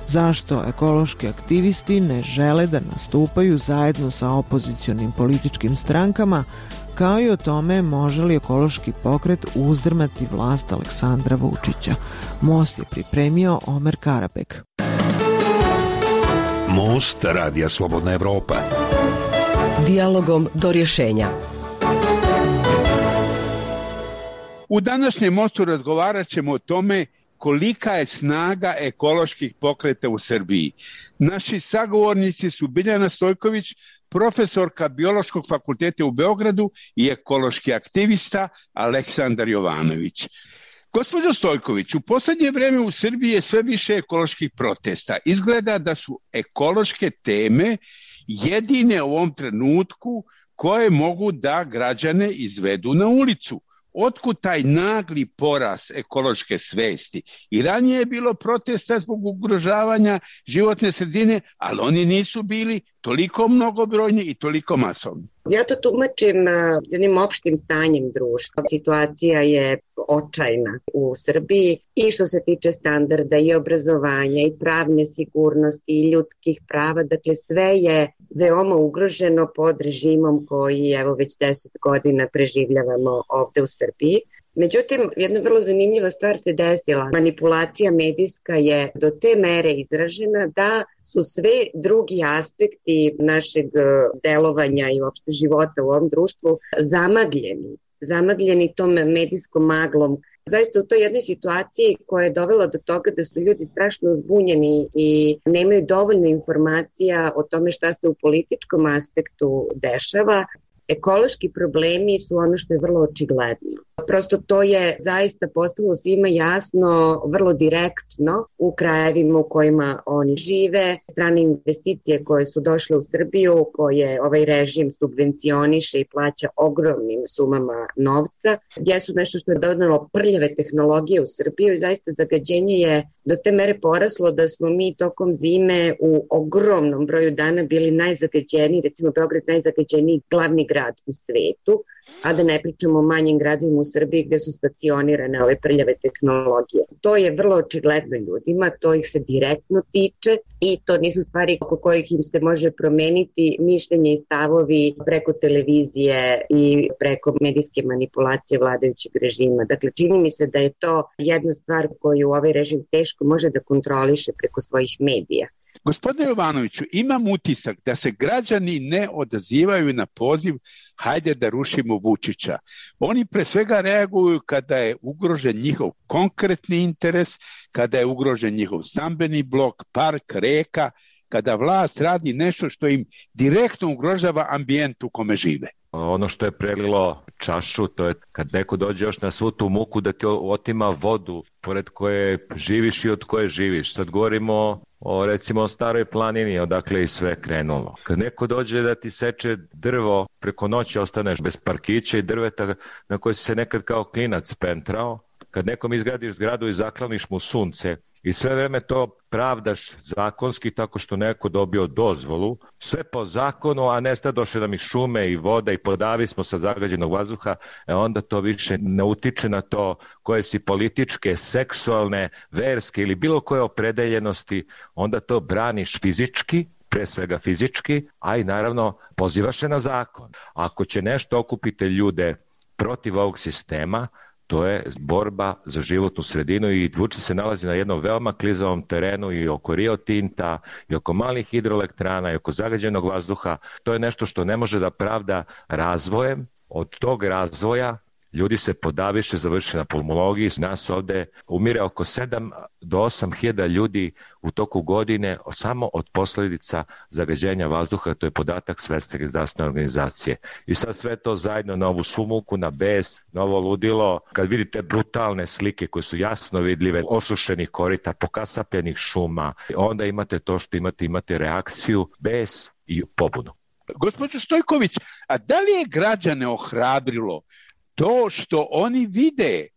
Zašto ekološki aktivisti ne žele da nastupaju zajedno sa opozicionim političkim strankama, kao i o tome može li ekološki pokret uzdrmati vlast Aleksandra Vučića? Most je pripremio Omer Karabek. Most Radija Slobodna Evropa. Dijalogom do rješenja. U današnjem mostu razgovarat ćemo o tome kolika je snaga ekoloških pokreta u Srbiji. Naši sagovornici su Biljana Stojković, profesorka Biološkog fakulteta u Beogradu, i ekološki aktivista Aleksandar Jovanović. Gospođo Stojković, u posljednje vrijeme u Srbiji je sve više ekoloških protesta. Izgleda da su ekološke teme jedine u ovom trenutku koje mogu da građane izvedu na ulicu. Otkud taj nagli porast ekološke svesti? I ranije je bilo protesta zbog ugrožavanja životne sredine, ali oni nisu bili toliko mnogobrojni i toliko masovni. Ja to tumačim jednim opštim stanjem društva. Situacija je očajna u Srbiji i što se tiče standarda i obrazovanja i pravne sigurnosti i ljudskih prava. Dakle, sve je veoma ugroženo pod režimom koji evo već deset godina preživljavamo ovde u Srbiji. Međutim, jedna vrlo zanimljiva stvar se desila. Manipulacija medijska je do te mere izražena da su sve drugi aspekti našeg delovanja i uopšte života u ovom društvu zamagljeni. Zamagljeni tom medijskom maglom. Zaista u toj jednoj situaciji koja je dovela do toga da su ljudi strašno zbunjeni i nemaju dovoljno informacija o tome šta se u političkom aspektu dešava. Ekološki problemi su ono što je vrlo očigledno. Prosto to je zaista postalo svima jasno, vrlo direktno u krajevima u kojima oni žive. Strane investicije koje su došle u Srbiju, koje ovaj režim subvencioniše i plaća ogromnim sumama novca, jesu nešto što je donelo prljave tehnologije u Srbiju i zaista zagađenje je do te mere poraslo da smo mi tokom zime u ogromnom broju dana bili najzagađeniji, recimo Beograd najzagađeniji glavni grad u svetu. a da ne pričamo o manjim gradovima u Srbiji gde su stacionirane ove prljave tehnologije. To je vrlo očigledno ljudima, to ih se direktno tiče i to nisu stvari oko kojih im se može promeniti mišljenje i stavovi preko televizije i preko medijske manipulacije vladajućeg režima. Dakle, čini mi se da je to jedna stvar koju ovaj režim teško može da kontroliše preko svojih medija. Gospodine Jovanoviću, imam utisak da se građani ne odazivaju na poziv hajde da rušimo Vučića. Oni pre svega reaguju kada je ugrožen njihov konkretni interes, kada je ugrožen njihov stambeni blok, park, reka, kada vlast radi nešto što im direktno ugrožava ambijent u kome žive. Ono što je prelilo čašu, to je kad neko dođe još na svu tu muku da ti otima vodu pored koje živiš i od koje živiš. Sad govorimo o recimo o Staroj planini, odakle i sve krenulo. Kad neko dođe da ti seče drvo, preko noći ostaneš bez parkića i drveta na koje si se nekad kao klinac pentrao. Kad nekom izgradiš zgradu i zakloniš mu sunce i sve vreme to pravdaš zakonski tako što neko dobio dozvolu, sve po zakonu, a nesta došle nam i šume i voda i podavi smo sa zagađenog vazduha, e onda to više ne utiče na to koje si političke, seksualne, verske ili bilo koje opredeljenosti, onda to braniš fizički, pre svega fizički, a i naravno pozivaš se na zakon. Ako će nešto okupiti ljude protiv ovog sistema, to je borba za životnu sredinu i Vučić se nalazi na jednom veoma klizavom terenu i oko Rio Tinta i oko malih hidroelektrana i oko zagađenog vazduha. To je nešto što ne može da pravda razvojem. Od tog razvoja ljudi se podaviše, završi na pulmologiji. Nas ovde umire oko sedam do osam hiljada ljudi u toku godine samo od posljedica zagađenja vazduha. To je podatak Svetske zdravstvene organizacije. I sad sve to zajedno na ovu sumuku, na bes, na ovo ludilo. Kad vidite brutalne slike koje su jasno vidljive, osušenih korita, pokasapljenih šuma, onda imate to što imate, imate reakciju, bes i pobunu. Gospođo Stojković, a da li je građane ohrabrilo to što oni vide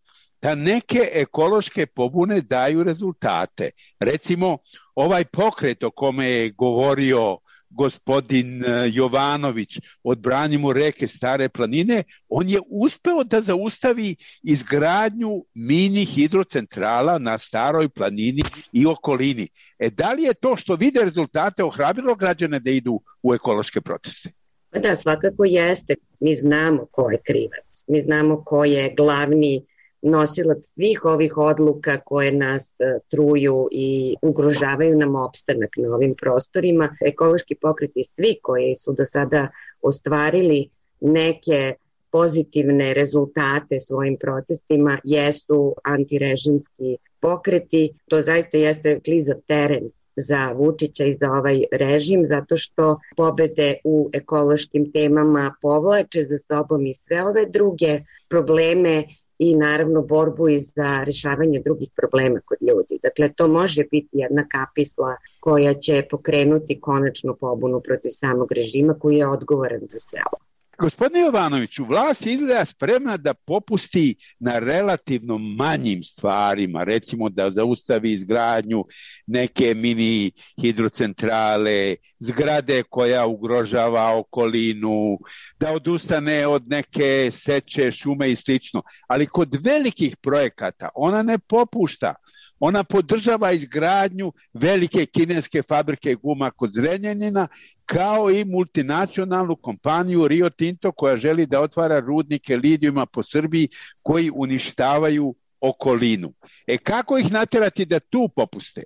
da neke ekološke pobune daju rezultate? Recimo, ovaj pokret o kome je govorio gospodin Jovanović, Odbranimo reke Stare planine, on je uspeo da zaustavi izgradnju mini hidrocentrala na Staroj planini i okolini. E, da li je to što vide rezultate ohrabrilo građane da idu u ekološke proteste? Da, svakako jeste. Mi znamo ko je krivac. Mi znamo ko je glavni nosilac svih ovih odluka koje nas truju i ugrožavaju nam opstanak na ovim prostorima. Ekološki pokreti svi koji su do sada ostvarili neke pozitivne rezultate svojim protestima jesu antirežimski pokreti. To zaista jeste klizav teren za Vučića i za ovaj režim, zato što pobede u ekološkim temama povlače za sobom i sve ove druge probleme i naravno borbu i za rešavanje drugih problema kod ljudi. Dakle, to može biti jedna kapisla koja će pokrenuti konačnu pobunu protiv samog režima koji je odgovoran za sve ovo. Gospodine Jovanoviću, vlast izgleda spremna da popusti na relativno manjim stvarima, recimo da zaustavi izgradnju neke mini hidrocentrale, zgrade koja ugrožava okolinu, da odustane od neke seče, šume i slično. Ali kod velikih projekata ona ne popušta. Ona podržava izgradnju velike kineske fabrike guma kod Zrenjanina, kao i multinacionalnu kompaniju Rio Tinto koja želi da otvara rudnike lidijuma po Srbiji koji uništavaju okolinu. E kako ih naterati da tu popuste?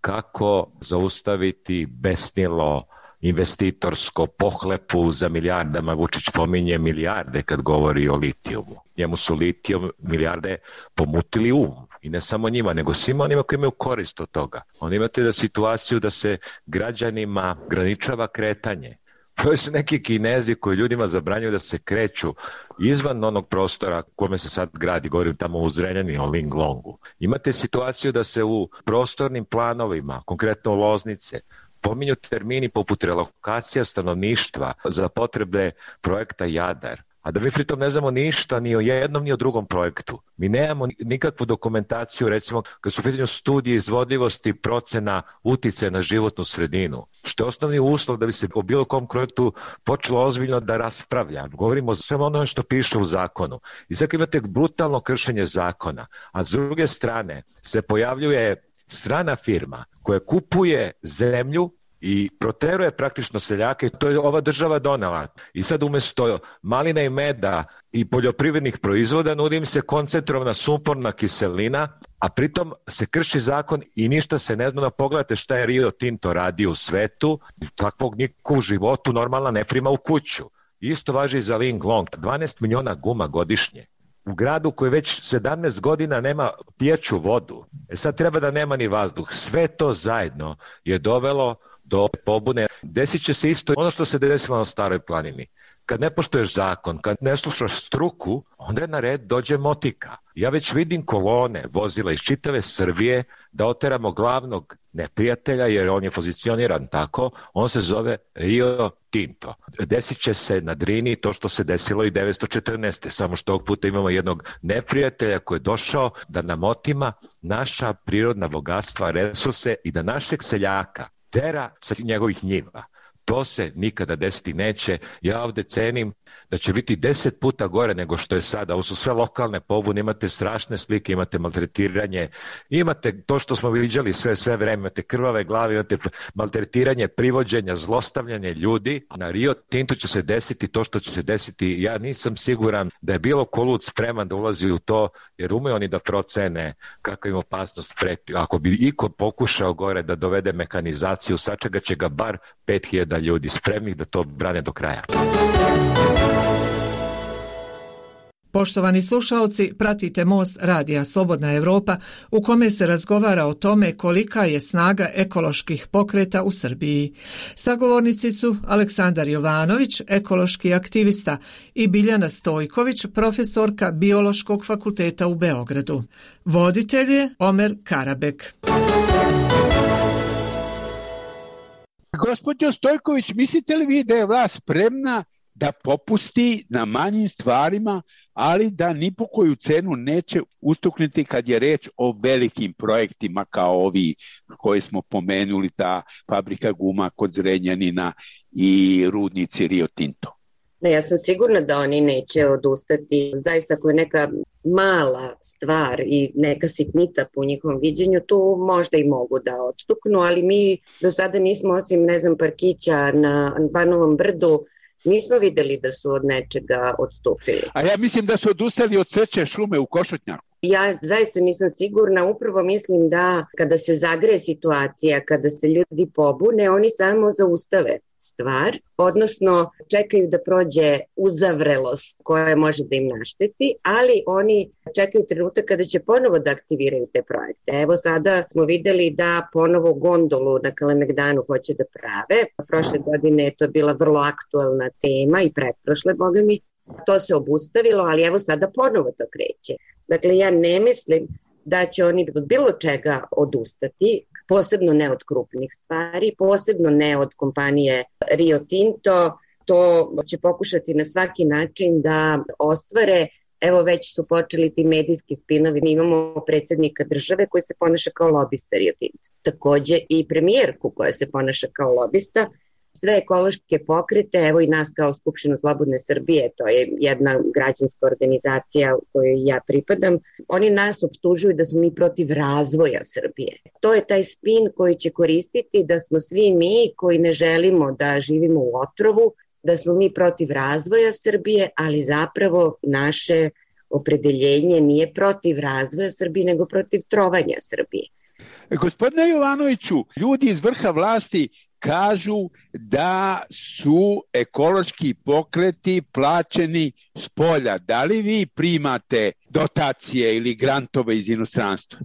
Kako zaustaviti besnilo investitorsko pohlepu za milijardama? Vučić pominje milijarde kad govori o litijumu. Njemu su litijum milijarde pomutili um. I ne samo njima, nego svima onima koji imaju korist od toga. Onda imate da situaciju da se građanima graničava kretanje. To su neki Kinezi koji ljudima zabranjuju da se kreću izvan onog prostora kome se sad gradi, govorim tamo u Zrenjaninu, o Linglongu. Imate situaciju da se u prostornim planovima, konkretno u Loznice, pominju termini poput relokacija stanovništva za potrebe projekta Jadar. a da mi pritom ne znamo ništa ni o jednom ni o drugom projektu. Mi nemamo nikakvu dokumentaciju, recimo, kad su u pitanju studije izvodljivosti procena uticaja na životnu sredinu, što je osnovni uslov da bi se o bilo kom projektu počelo ozbiljno da raspravlja. Govorimo o svemu onome što piše u zakonu. I sad imate brutalno kršenje zakona, a s druge strane se pojavljuje strana firma koja kupuje zemlju i proteruje praktično seljake, to je ova država donela. I sad umjesto malina i meda i poljoprivrednih proizvoda nudi im se koncentrovana sumporna kiselina, a pritom se krši zakon i ništa se ne zna. Pogledajte šta je Rio Tinto radio u svetu, takvog niko u životu normalna ne prima u kuću. Isto važi i za Linglong, dvanaest miliona guma godišnje. U gradu koji već sedamnaest godina nema pijaću vodu. E sad treba da nema ni vazduh. Sve to zajedno je dovelo do pobune. Desit će se isto ono što se desilo na Staroj planini. Kad ne poštuješ zakon, kad ne slušaš struku, onda je na red dođe motika. Ja već vidim kolone vozila iz čitave Srbije da oteramo glavnog neprijatelja, jer on je pozicioniran tako, on se zove Rio Tinto. Desit će se na Drini to što se desilo i devetsto četrnaeste. Samo što ovog puta imamo jednog neprijatelja koji je došao da nam otima naša prirodna bogatstva, resurse i da našeg seljaka tera sa njegovih njiva. To se nikada desiti neće. Ja ovde cenim da će biti deset puta gore nego što je sada. Ovo su sve lokalne pobune, imate strašne slike, imate maltretiranje, imate to što smo viđali sve, sve vreme, imate krvave glave, imate maltretiranje, privođenja, zlostavljanje ljudi. Na Rio Tintu će se desiti to što će se desiti. Ja nisam siguran da je bilo ko lud spreman da ulazi u to, jer umeju oni da procene kakva im opasnost preti. Ako bi iko pokušao gore da dovede mehanizaciju, sačegat će ga bar pet hiljada ljudi spremnih da to brane do kraja. Poštovani slušaoci, pratite Most radija Slobodna Evropa u kome se razgovara o tome kolika je snaga ekoloških pokreta u Srbiji. Sagovornici su Aleksandar Jovanović, ekološki aktivista, i Biljana Stojković, profesorka Biološkog fakulteta u Beogradu. Voditelj je Omer Karabek. Gospođo Stojković, mislite li vi da je vlast spremna da popusti na manjim stvarima, ali da ni po koju cenu neće ustuknuti kad je reč o velikim projektima kao ovi koje smo pomenuli, ta fabrika guma kod Zrenjanina i rudnici Rio Tinto? Ne, ja sam sigurna da oni neće odustati. Zaista ako je neka mala stvar i neka sitnica po njihovom viđenju, tu možda i mogu da odstuknu, ali mi do sada nismo, osim, ne znam, parkića na Banovom brdu, nismo videli da su od nečega odstupili. A ja mislim da su odustali od seče šume u Košutnjaku. Ja zaista nisam sigurna, upravo mislim da kada se zagreje situacija, kada se ljudi pobune, oni samo zaustave stvar, odnosno čekaju da prođe uzavrelost koja može da im našteti, ali oni čekaju trenutak kada će ponovo da aktiviraju te projekte. Evo sada smo videli da ponovo gondolu na Kalemegdanu hoće da prave. Prošle godine je to bila vrlo aktualna tema i pretprošle, boga mi. To se obustavilo, ali evo sada ponovo to kreće. Dakle, ja ne mislim da će oni od bilo čega odustati, posebno ne od krupnih stvari, posebno ne od kompanije Rio Tinto. To će pokušati na svaki način da ostvare. Evo već su počeli ti medijski spinovi. Mi imamo predsjednika države koji se ponaša kao lobista Rio Tinto. Takođe i premijerku koja se ponaša kao lobista. Sve ekološke pokrete, evo i nas kao Skupštinu Slobodne Srbije, to je jedna građanska organizacija u kojoj ja pripadam, oni nas optužuju da smo mi protiv razvoja Srbije. To je taj spin koji će koristiti da smo svi mi koji ne želimo da živimo u otrovu, da smo mi protiv razvoja Srbije, ali zapravo naše opredeljenje nije protiv razvoja Srbije, nego protiv trovanja Srbije. Gospodine Jovanoviću, ljudi iz vrha vlasti kažu da su ekološki pokreti plaćeni s polja. Da li vi primate dotacije ili grantove iz inostranstva?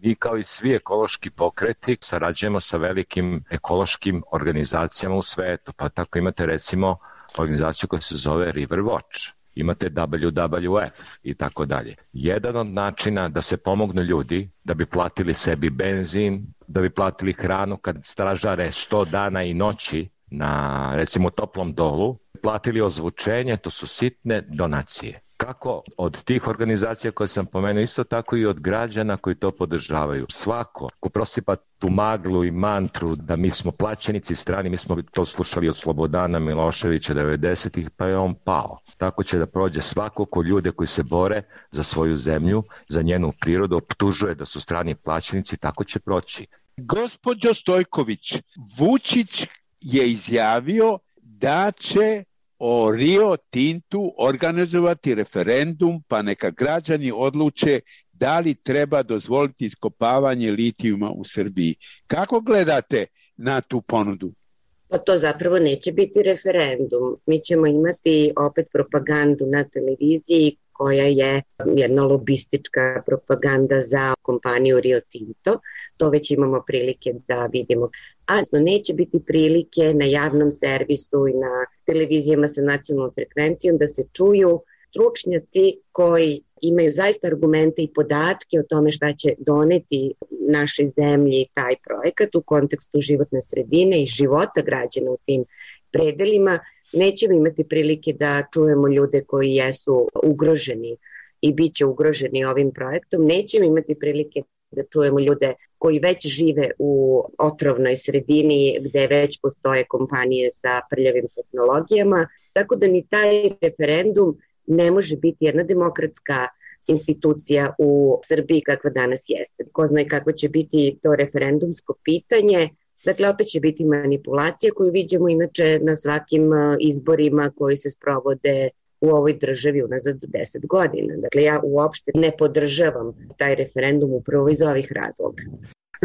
Mi kao i svi ekološki pokreti sarađujemo sa velikim ekološkim organizacijama u svetu. Pa tako imate recimo organizaciju koja se zove River Watch. Imate W W F i tako dalje. Jedan od načina da se pomognu ljudi, da bi platili sebi benzin, da bi platili hranu kad stražare sto dana i noći na recimo Toplom Dolu, platili ozvučenje, to su sitne donacije. Kako od tih organizacija koje sam pomenuo, isto tako i od građana koji to podržavaju. Svako ko prosipa tu maglu i mantru da mi smo plaćenici strani, mi smo to slušali od Slobodana Miloševića devedesetih, pa je on pao. Tako će da prođe svako ko ljude koji se bore za svoju zemlju, za njenu prirodu, optužuje da su strani plaćenici, tako će proći. Gospođo Stojković, Vučić je izjavio da će o Rio Tintu organizovati referendum, pa neka građani odluče da li treba dozvoliti iskopavanje litijuma u Srbiji. Kako gledate na tu ponudu? Pa to zapravo neće biti referendum. Mi ćemo imati opet propagandu na televiziji koja je jedna lobistička propaganda za kompaniju Rio Tinto. To već imamo prilike da vidimo. A neće biti prilike na javnom servisu i na televizijama sa nacionalnom frekvencijom da se čuju stručnjaci koji imaju zaista argumente i podatke o tome šta će doneti našoj zemlji taj projekat u kontekstu životne sredine i života građana u tim predelima. Nećemo imati prilike da čujemo ljude koji jesu ugroženi i bit će ugroženi ovim projektom. Nećemo imati prilike da čujemo ljude koji već žive u otrovnoj sredini gde već postoje kompanije sa prljavim tehnologijama. Tako da ni taj referendum ne može biti jedna demokratska institucija u Srbiji kakva danas jeste. Ko zna kako će biti to referendumsko pitanje. Dakle, opet će biti manipulacija koju vidimo inače na svakim izborima koji se sprovode u ovoj državi unazad deset godina. Dakle, ja uopšte ne podržavam taj referendum upravo iz ovih razloga.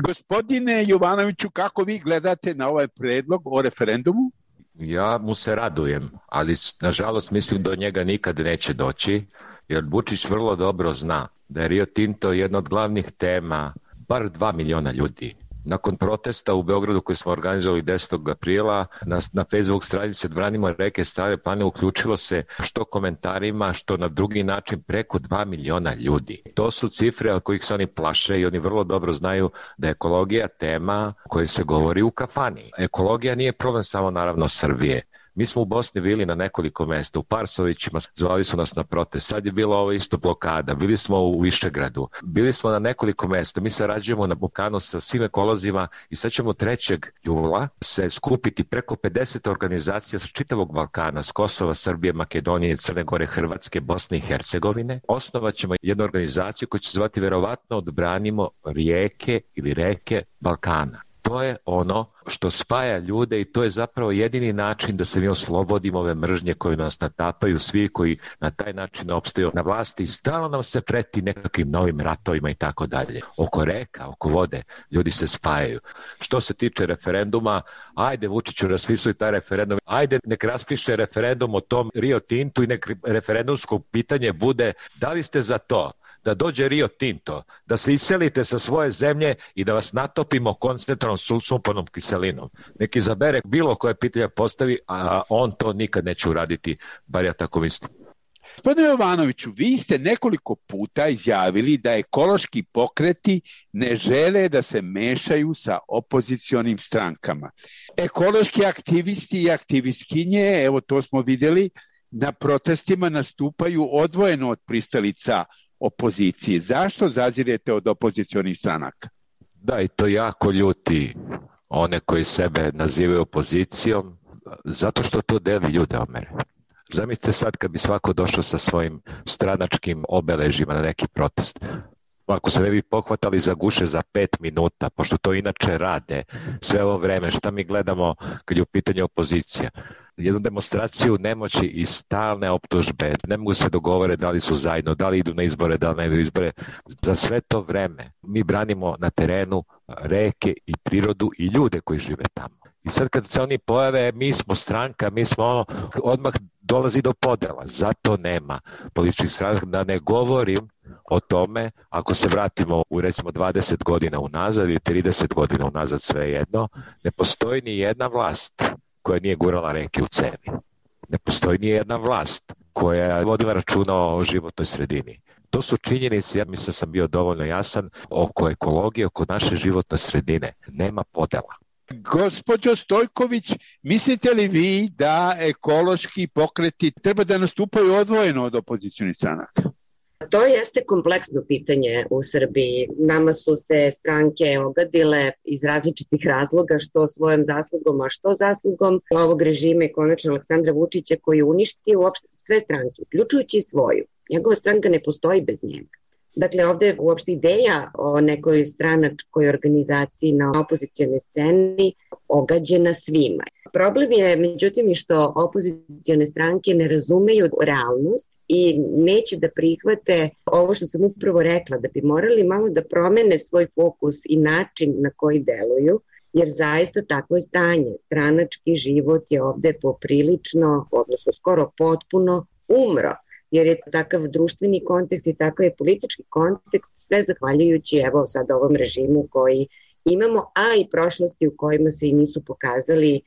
Gospodine Jovanoviću, kako vi gledate na ovaj predlog o referendumu? Ja mu se radujem, ali nažalost mislim da do njega nikad neće doći, jer Vučić vrlo dobro zna da je Rio Tinto jedna od glavnih tema bar dva miliona ljudi. Nakon protesta u Beogradu koji smo organizovali desetog aprila na, na Facebook stranici Odbranimo reke Stare planine uključilo se što komentarima, što na drugi način preko dva miliona ljudi. To su cifre od kojih se oni plaše i oni vrlo dobro znaju da je ekologija tema koja se govori u kafani. Ekologija nije problem samo naravno Srbije. Mi smo u Bosni bili na nekoliko mesta, u Parsovićima, zvali su nas na protest, sad je bilo ovo isto blokada, bili smo u Višegradu, bili smo na nekoliko mesta, mi sarađujemo na Balkanu sa svim ekolozima i sad ćemo trećeg jula se skupiti preko pedeset organizacija sa čitavog Balkana, s Kosova, Srbije, Makedonije, Crne Gore, Hrvatske, Bosne i Hercegovine. Osnovat ćemo jednu organizaciju koja će zvati verovatno Odbranimo rijeke ili reke Balkana. To je ono što spaja ljude i to je zapravo jedini način da se mi oslobodimo ove mržnje koje nas natapaju, svi koji na taj način opstaju na vlasti i stalno nam se preti nekakvim novim ratovima i tako dalje. Oko reka, oko vode, ljudi se spajaju. Što se tiče referenduma, ajde Vučiću raspisuj taj referendum, ajde nek raspiše referendum o tom Rio Tintu i nek referendumsko pitanje bude da li ste za to da dođe Rio Tinto, da se iselite sa svoje zemlje i da vas natopimo koncentranom sumpornom kiselinom. Neki izabere bilo koje pitanje postavi, a on to nikad neće uraditi, bar ja tako mislim. Gospodine Jovanoviću, vi ste nekoliko puta izjavili da ekološki pokreti ne žele da se mešaju sa opozicionim strankama. Ekološki aktivisti i aktivistkinje, evo to smo vidjeli, na protestima nastupaju odvojeno od pristalica opozicije. Zašto zazirete od opozicionih stranaka? Da, i to jako ljuti one koji sebe nazivaju opozicijom, zato što to deli ljude, Omere. Zamislite sad kad bi svako došao sa svojim stranačkim obeležima na neki protest. Ako se ne bi pohvatali za guše za pet minuta, pošto to inače rade sve ovo vreme, šta mi gledamo kad je u pitanju opozicija? Jednu demonstraciju nemoći i stalne optužbe, ne mogu se dogovore da li su zajedno, da li idu na izbore, da li ne idu na izbore. Za sve to vreme mi branimo na terenu reke i prirodu i ljude koji žive tamo. I sad kad se oni pojave, mi smo stranka, mi smo ono, odmah dolazi do podela. Zato nema političkih stranaka, da ne govorim o tome, ako se vratimo u recimo dvadeset godina unazad ili trideset godina unazad, svejedno, ne postoji ni jedna vlast koja nije gurala reke u cevi. Ne postoji ni jedna vlast koja je vodila računa o životnoj sredini. To su činjenice, ja mislim da sam bio dovoljno jasan, oko ekologije, oko naše životne sredine. Nema podela. Gospođo Stojković, mislite li vi da ekološki pokreti treba da nastupaju odvojeno od opozicionih stranaka? To jeste kompleksno pitanje u Srbiji. Nama su se stranke ogadile iz različitih razloga, što svojom zaslugom, a što zaslugom ovog režima i konačno Aleksandra Vučića koji uništi uopšte sve stranke, uključujući i svoju. Njegova stranka ne postoji bez njega. Dakle, ovde je uopšte ideja o nekoj stranačkoj organizaciji na opozicionoj sceni ogađena svima. Problem je, međutim, i što opozicione stranke ne razumeju realnost i neće da prihvate ovo što sam upravo rekla, da bi morali malo da promene svoj fokus i način na koji deluju, jer zaista takvo je stanje. Stranački život je ovde poprilično, odnosno skoro potpuno umro, jer je takav društveni kontekst i takav je politički kontekst, sve zahvaljujući evo sad ovom režimu koji imamo, a i prošlosti u kojima se i nisu pokazali,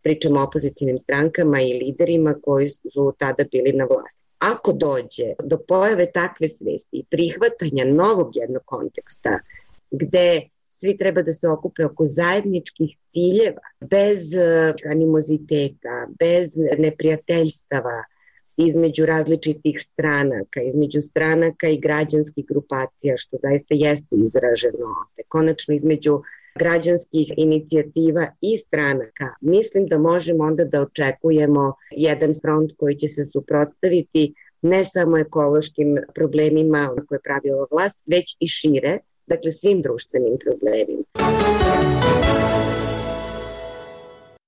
pričamo o opozicijnim strankama i liderima koji su tada bili na vlasti. Ako dođe do pojave takve svesti i prihvatanja novog jednog konteksta, gde svi treba da se okupe oko zajedničkih ciljeva, bez animoziteta, bez neprijateljstava, između različitih stranaka, između stranaka i građanskih grupacija, što zaista jeste izraženo ovde. Konačno između građanskih inicijativa i stranaka, mislim da možemo onda da očekujemo jedan front koji će se suprotstaviti ne samo ekološkim problemima koje pravi ova vlast, već i šire, dakle svim društvenim problemima.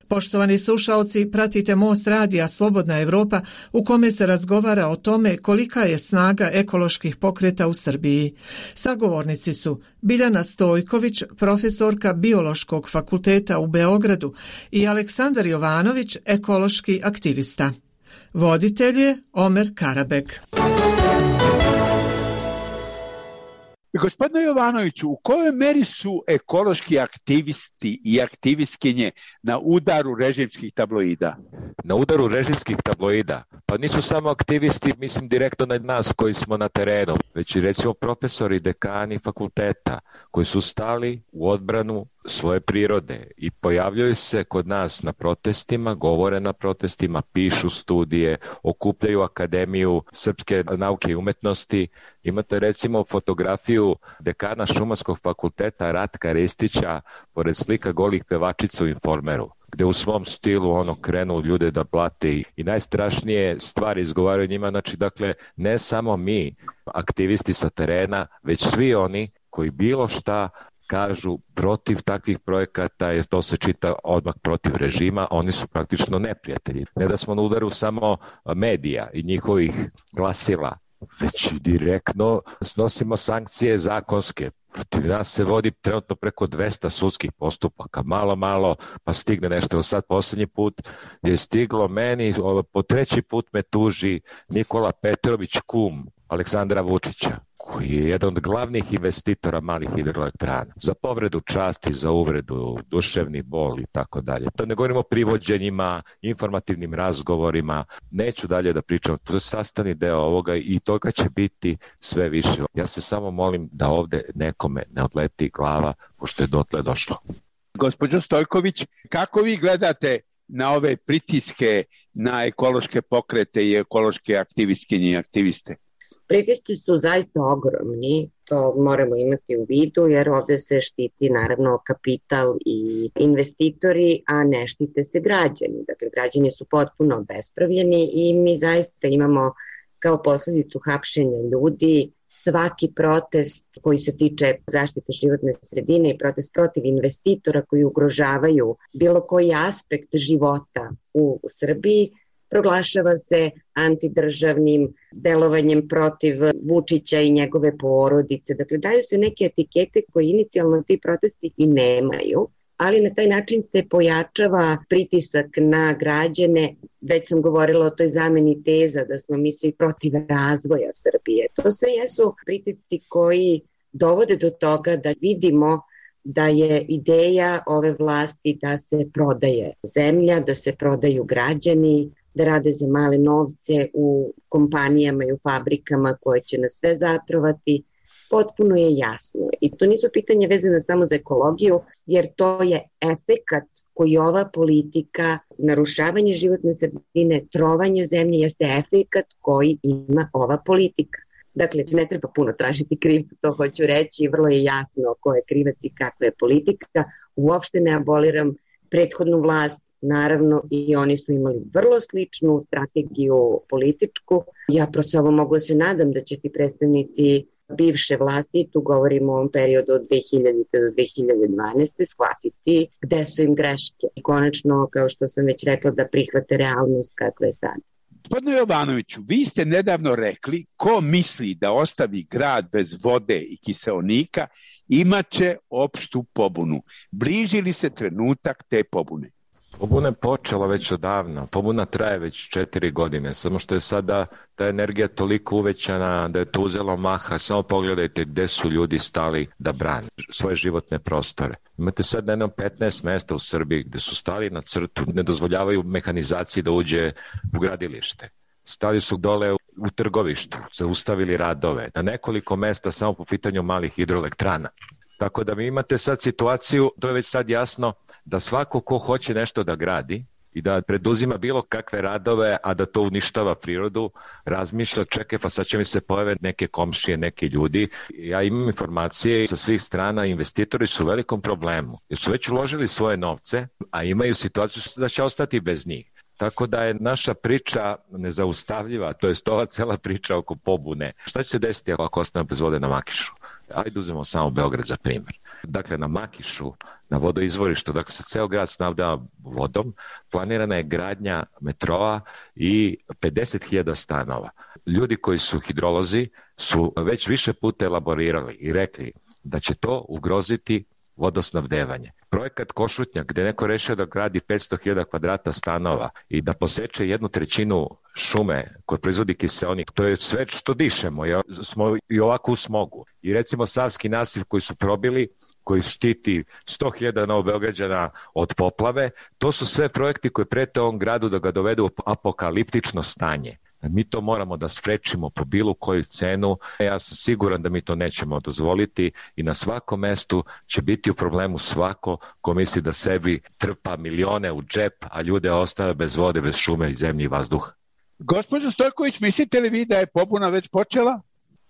Poštovani slušaoci, pratite Most radija Slobodna Evropa u kome se razgovara o tome kolika je snaga ekoloških pokreta u Srbiji. Sagovornici su Biljana Stojković, profesorka Biološkog fakulteta u Beogradu i Aleksandar Jovanović, ekološki aktivista. Voditelj je Omer Karabek. Gospodine Jovanoviću, u kojoj meri su ekološki aktivisti i aktivistkinje na udaru režimskih tabloida? Na udaru režimskih tabloida? Pa nisu samo aktivisti, mislim, direktno na nas koji smo na terenu, već i recimo profesori, dekani fakulteta koji su stali u odbranu svoje prirode i pojavljaju se kod nas na protestima, govore na protestima, pišu studije, okupljaju Akademiju srpske nauke i umetnosti. Imate recimo fotografiju dekana Šumarskog fakulteta Ratka Ristića pored slika golih pevačica u Informeru, gde u svom stilu ono krenu ljude da blate i, i najstrašnije stvari izgovaraju njima. Znači, dakle, ne samo mi, aktivisti sa terena, već svi oni koji bilo šta kažu protiv takvih projekata, jer to se čita odmah protiv režima, oni su praktično neprijatelji. Ne da smo na udaru samo medija i njihovih glasila, već direktno snosimo sankcije zakonske. Protiv nas se vodi trenutno preko dvesta sudskih postupaka, malo, malo, pa stigne nešto. Sad posljednji put je stiglo meni, po treći put me tuži Nikola Petrović, kum Aleksandra Vučića, koji je jedan od glavnih investitora malih hidroelektrana, za povredu časti, za uvredu, duševni bol i tako dalje. To ne govorimo o privođenjima, informativnim razgovorima, neću dalje da pričam, to je sastavni deo ovoga i toga će biti sve više. Ja se samo molim da ovde nekome ne odleti glava, pošto je dotle došlo. Gospođo Stojković, kako vi gledate na ove pritiske na ekološke pokrete i ekološke aktivistkinje i aktiviste? Pritisci su zaista ogromni, to moramo imati u vidu jer ovde se štiti naravno kapital i investitori, a ne štite se građani. Dakle, građani su potpuno obespravljeni i mi zaista imamo kao posledicu hapšenja ljudi svaki protest koji se tiče zaštite životne sredine i protest protiv investitora koji ugrožavaju bilo koji aspekt života u, u Srbiji, proglašava se antidržavnim delovanjem protiv Vučića i njegove porodice. Dakle, daju se neke etikete koje inicijalno ti protesti i nemaju, ali na taj način se pojačava pritisak na građane. Već sam govorila o toj zameni teza da smo mi svi protiv razvoja Srbije. To sve jesu pritisci koji dovode do toga da vidimo da je ideja ove vlasti da se prodaje zemlja, da se prodaju građani, da rade za male novce u kompanijama i u fabrikama koje će nas sve zatrovati, potpuno je jasno. I to nisu pitanje vezane samo za ekologiju, jer to je efekat koji ova politika, narušavanje životne sredine, trovanje zemlje, jeste efekat koji ima ova politika. Dakle, ne treba puno tražiti krivca, to hoću reći, vrlo je jasno ko je krivac i kakva je politika. Uopšte ne aboliram prethodnu vlast, naravno i oni su imali vrlo sličnu strategiju političku. Ja samo mogu se nadam da će ti predstavnici bivše vlasti, tu govorimo o ovom periodu od dve hiljadite do dve hiljade dvanaeste, shvatiti gde su im greške. I konačno, kao što sam već rekla, da prihvate realnost kakva je sad. Gospodine Jovanoviću, vi ste nedavno rekli ko misli da ostavi grad bez vode i kiseonika imaće opštu pobunu. Bliži li se trenutak te pobune? Pobuna je počela već odavno, pobuna traje već četiri godine, samo što je sada ta energija toliko uvećana da je to uzelo maha. Samo pogledajte gde su ljudi stali da brane svoje životne prostore. Imate sad jedno petnaest mesta u Srbiji gde su stali na crtu, ne dozvoljavaju mehanizaciji da uđe u gradilište. Stali su dole u trgovištu, zaustavili radove, na nekoliko mesta samo po pitanju malih hidroelektrana. Tako da mi imate sad situaciju, to je već sad jasno, da svako ko hoće nešto da gradi i da preduzima bilo kakve radove, a da to uništava prirodu, razmišlja, čekaj, pa sad će mi se pojave neke komšije, neki ljudi. Ja imam informacije sa svih strana, investitori su u velikom problemu, jer su već uložili svoje novce, a imaju situaciju da će ostati bez njih. Tako da je naša priča nezaustavljiva, to je ova cela priča oko pobune. Šta će se desiti ako ostane bez vode na Makišu? Ajde uzmemo samo Beograd za primjer. Dakle, na Makišu, na vodoizvorištu, dakle se ceo grad snabdeva vodom, planirana je gradnja metroa i pedeset hiljada stanova. Ljudi koji su hidrolozi su već više puta elaborirali i rekli da će to ugroziti vodosnabdevanje. Projekat Košutnjak, gde neko rešio da gradi petsto hiljada kvadrata stanova i da poseče jednu trećinu šume koje proizvodi kiseonik, to je sve što dišemo, jer smo i ovako u smogu. I recimo Savski nasiv koji su probili, koji štiti sto hiljada Novobeograđana od poplave, to su sve projekti koji prete ovom gradu da ga dovedu u apokaliptično stanje. Mi to moramo da sprečimo po bilo koju cenu. Ja sam siguran da mi to nećemo dozvoliti i na svakom mestu će biti u problemu svako ko misli da sebi trpa milione u džep, a ljude ostave bez vode, bez šume i zemlje i vazduha. Gospođo Stojković, mislite li vi da je pobuna već počela?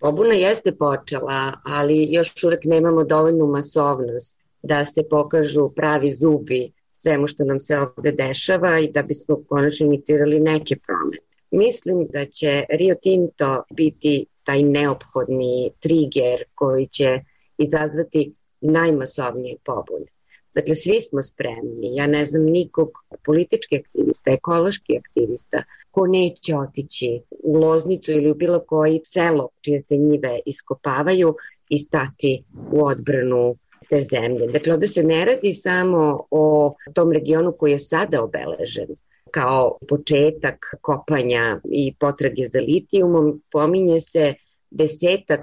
Pobuna jeste počela, ali još uvek nemamo dovoljnu masovnost da se pokažu pravi zubi svemu što nam se ovde dešava i da bismo konačno inicirali neke promene. Mislim da će Rio Tinto biti taj neophodni triger koji će izazvati najmasovnije pobune. Dakle, svi smo spremni. Ja ne znam nikog politički aktivista, ekološki aktivista ko neće otići u Loznicu ili u bilo koji selo čije se njive iskopavaju i stati u odbranu te zemlje. Dakle, ovde se ne radi samo o tom regionu koji je sada obeležen kao početak kopanja i potrage za litijumom, pominje se desetak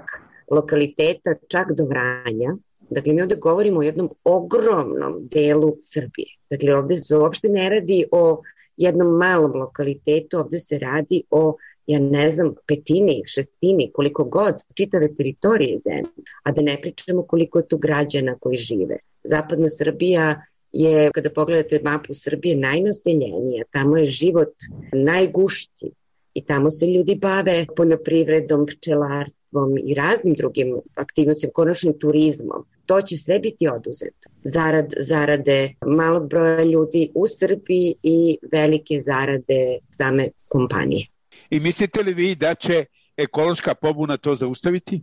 lokaliteta čak do Vranja. Dakle, mi ovde govorimo o jednom ogromnom delu Srbije. Dakle, ovde se uopšte ne radi o jednom malom lokalitetu, ovde se radi o, ja ne znam, petini, šestini, koliko god, čitave teritorije zemlje, a da ne pričamo koliko je tu građana koji žive. Zapadna Srbija je, kada pogledate mapu Srbije, najnaseljenija, tamo je život najgušći i tamo se ljudi bave poljoprivredom, pčelarstvom i raznim drugim aktivnostima, konačnim turizmom. To će sve biti oduzeto. Zarad, zarade malog broja ljudi u Srbiji i velike zarade same kompanije. I mislite li vi da će ekološka pobuna to zaustaviti?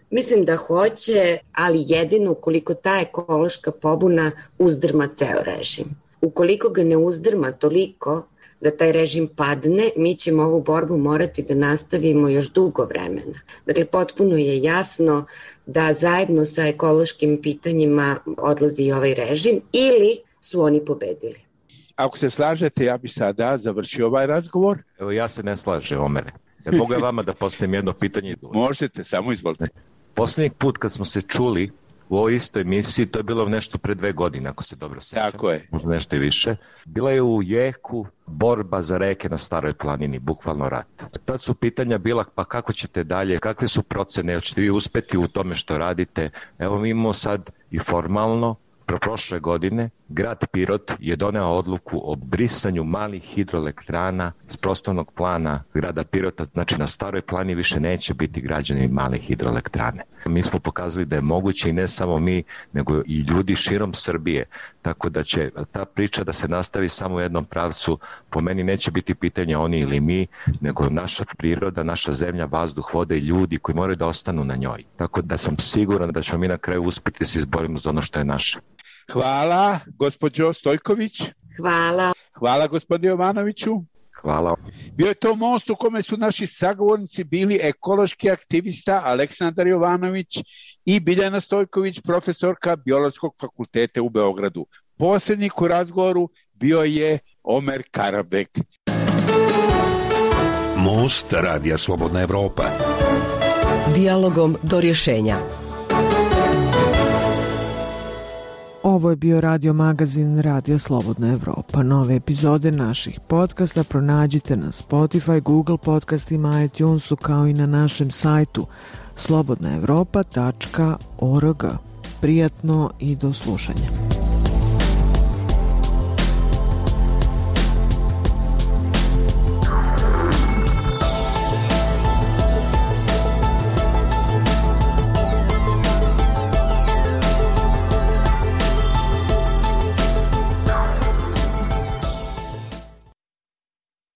Mislim da hoće, ali jedino ukoliko ta ekološka pobuna uzdrma ceo režim. Ukoliko ga ne uzdrma toliko da taj režim padne, mi ćemo ovu borbu morati da nastavimo još dugo vremena. Dakle, potpuno je jasno da zajedno sa ekološkim pitanjima odlazi i ovaj režim ili su oni pobedili. Ako se slažete, ja bi sada završio ovaj razgovor. Evo, ja se ne slažem, Omere. Ja mogu je vama da postavim jedno pitanje? Možete, samo izvolite. Poslednjeg put kad smo se čuli, u ovoj istoj emisiji, to je bilo nešto pre dve godine, ako se dobro sećam. Tako je. Možda nešto i više. Bila je u jeku borba za reke na Staroj planini, bukvalno rat. Tad su pitanja bila, pa kako ćete dalje, kakve su procene, jel ćete vi uspeti u tome što radite? Evo mi imamo sad i formalno, pro prošle godine, grad Pirot je doneo odluku o brisanju malih hidroelektrana s prostornog plana grada Pirota, znači na Staroj plani više neće biti građani malih hidroelektrane. Mi smo pokazali da je moguće i ne samo mi, nego i ljudi širom Srbije, tako da će ta priča da se nastavi samo u jednom pravcu, po meni neće biti pitanje oni ili mi, nego naša priroda, naša zemlja, vazduh, vode i ljudi koji moraju da ostanu na njoj. Tako da sam siguran da ćemo mi na kraju uspjeti da se izborimo za ono što je naše. Hvala, gospođo Stojković. Hvala. Hvala, gospodine Jovanoviću. Hvala. Bio je to most u kome su naši sagovornici bili ekološki aktivista Aleksandar Jovanović i Biljana Stojković, profesorka Biološkog fakulteta u Beogradu. Posrednik u razgovoru bio je Omer Karabek. Most Radija Slobodna Evropa. Dijalogom do rješenja. Ovo je bio radio magazin Radija Slobodna Evropa. Nove epizode naših podcasta pronađite na Spotify, Google podcastima, iTunesu kao i na našem sajtu slobodna evropa tačka org. Prijatno i do slušanja.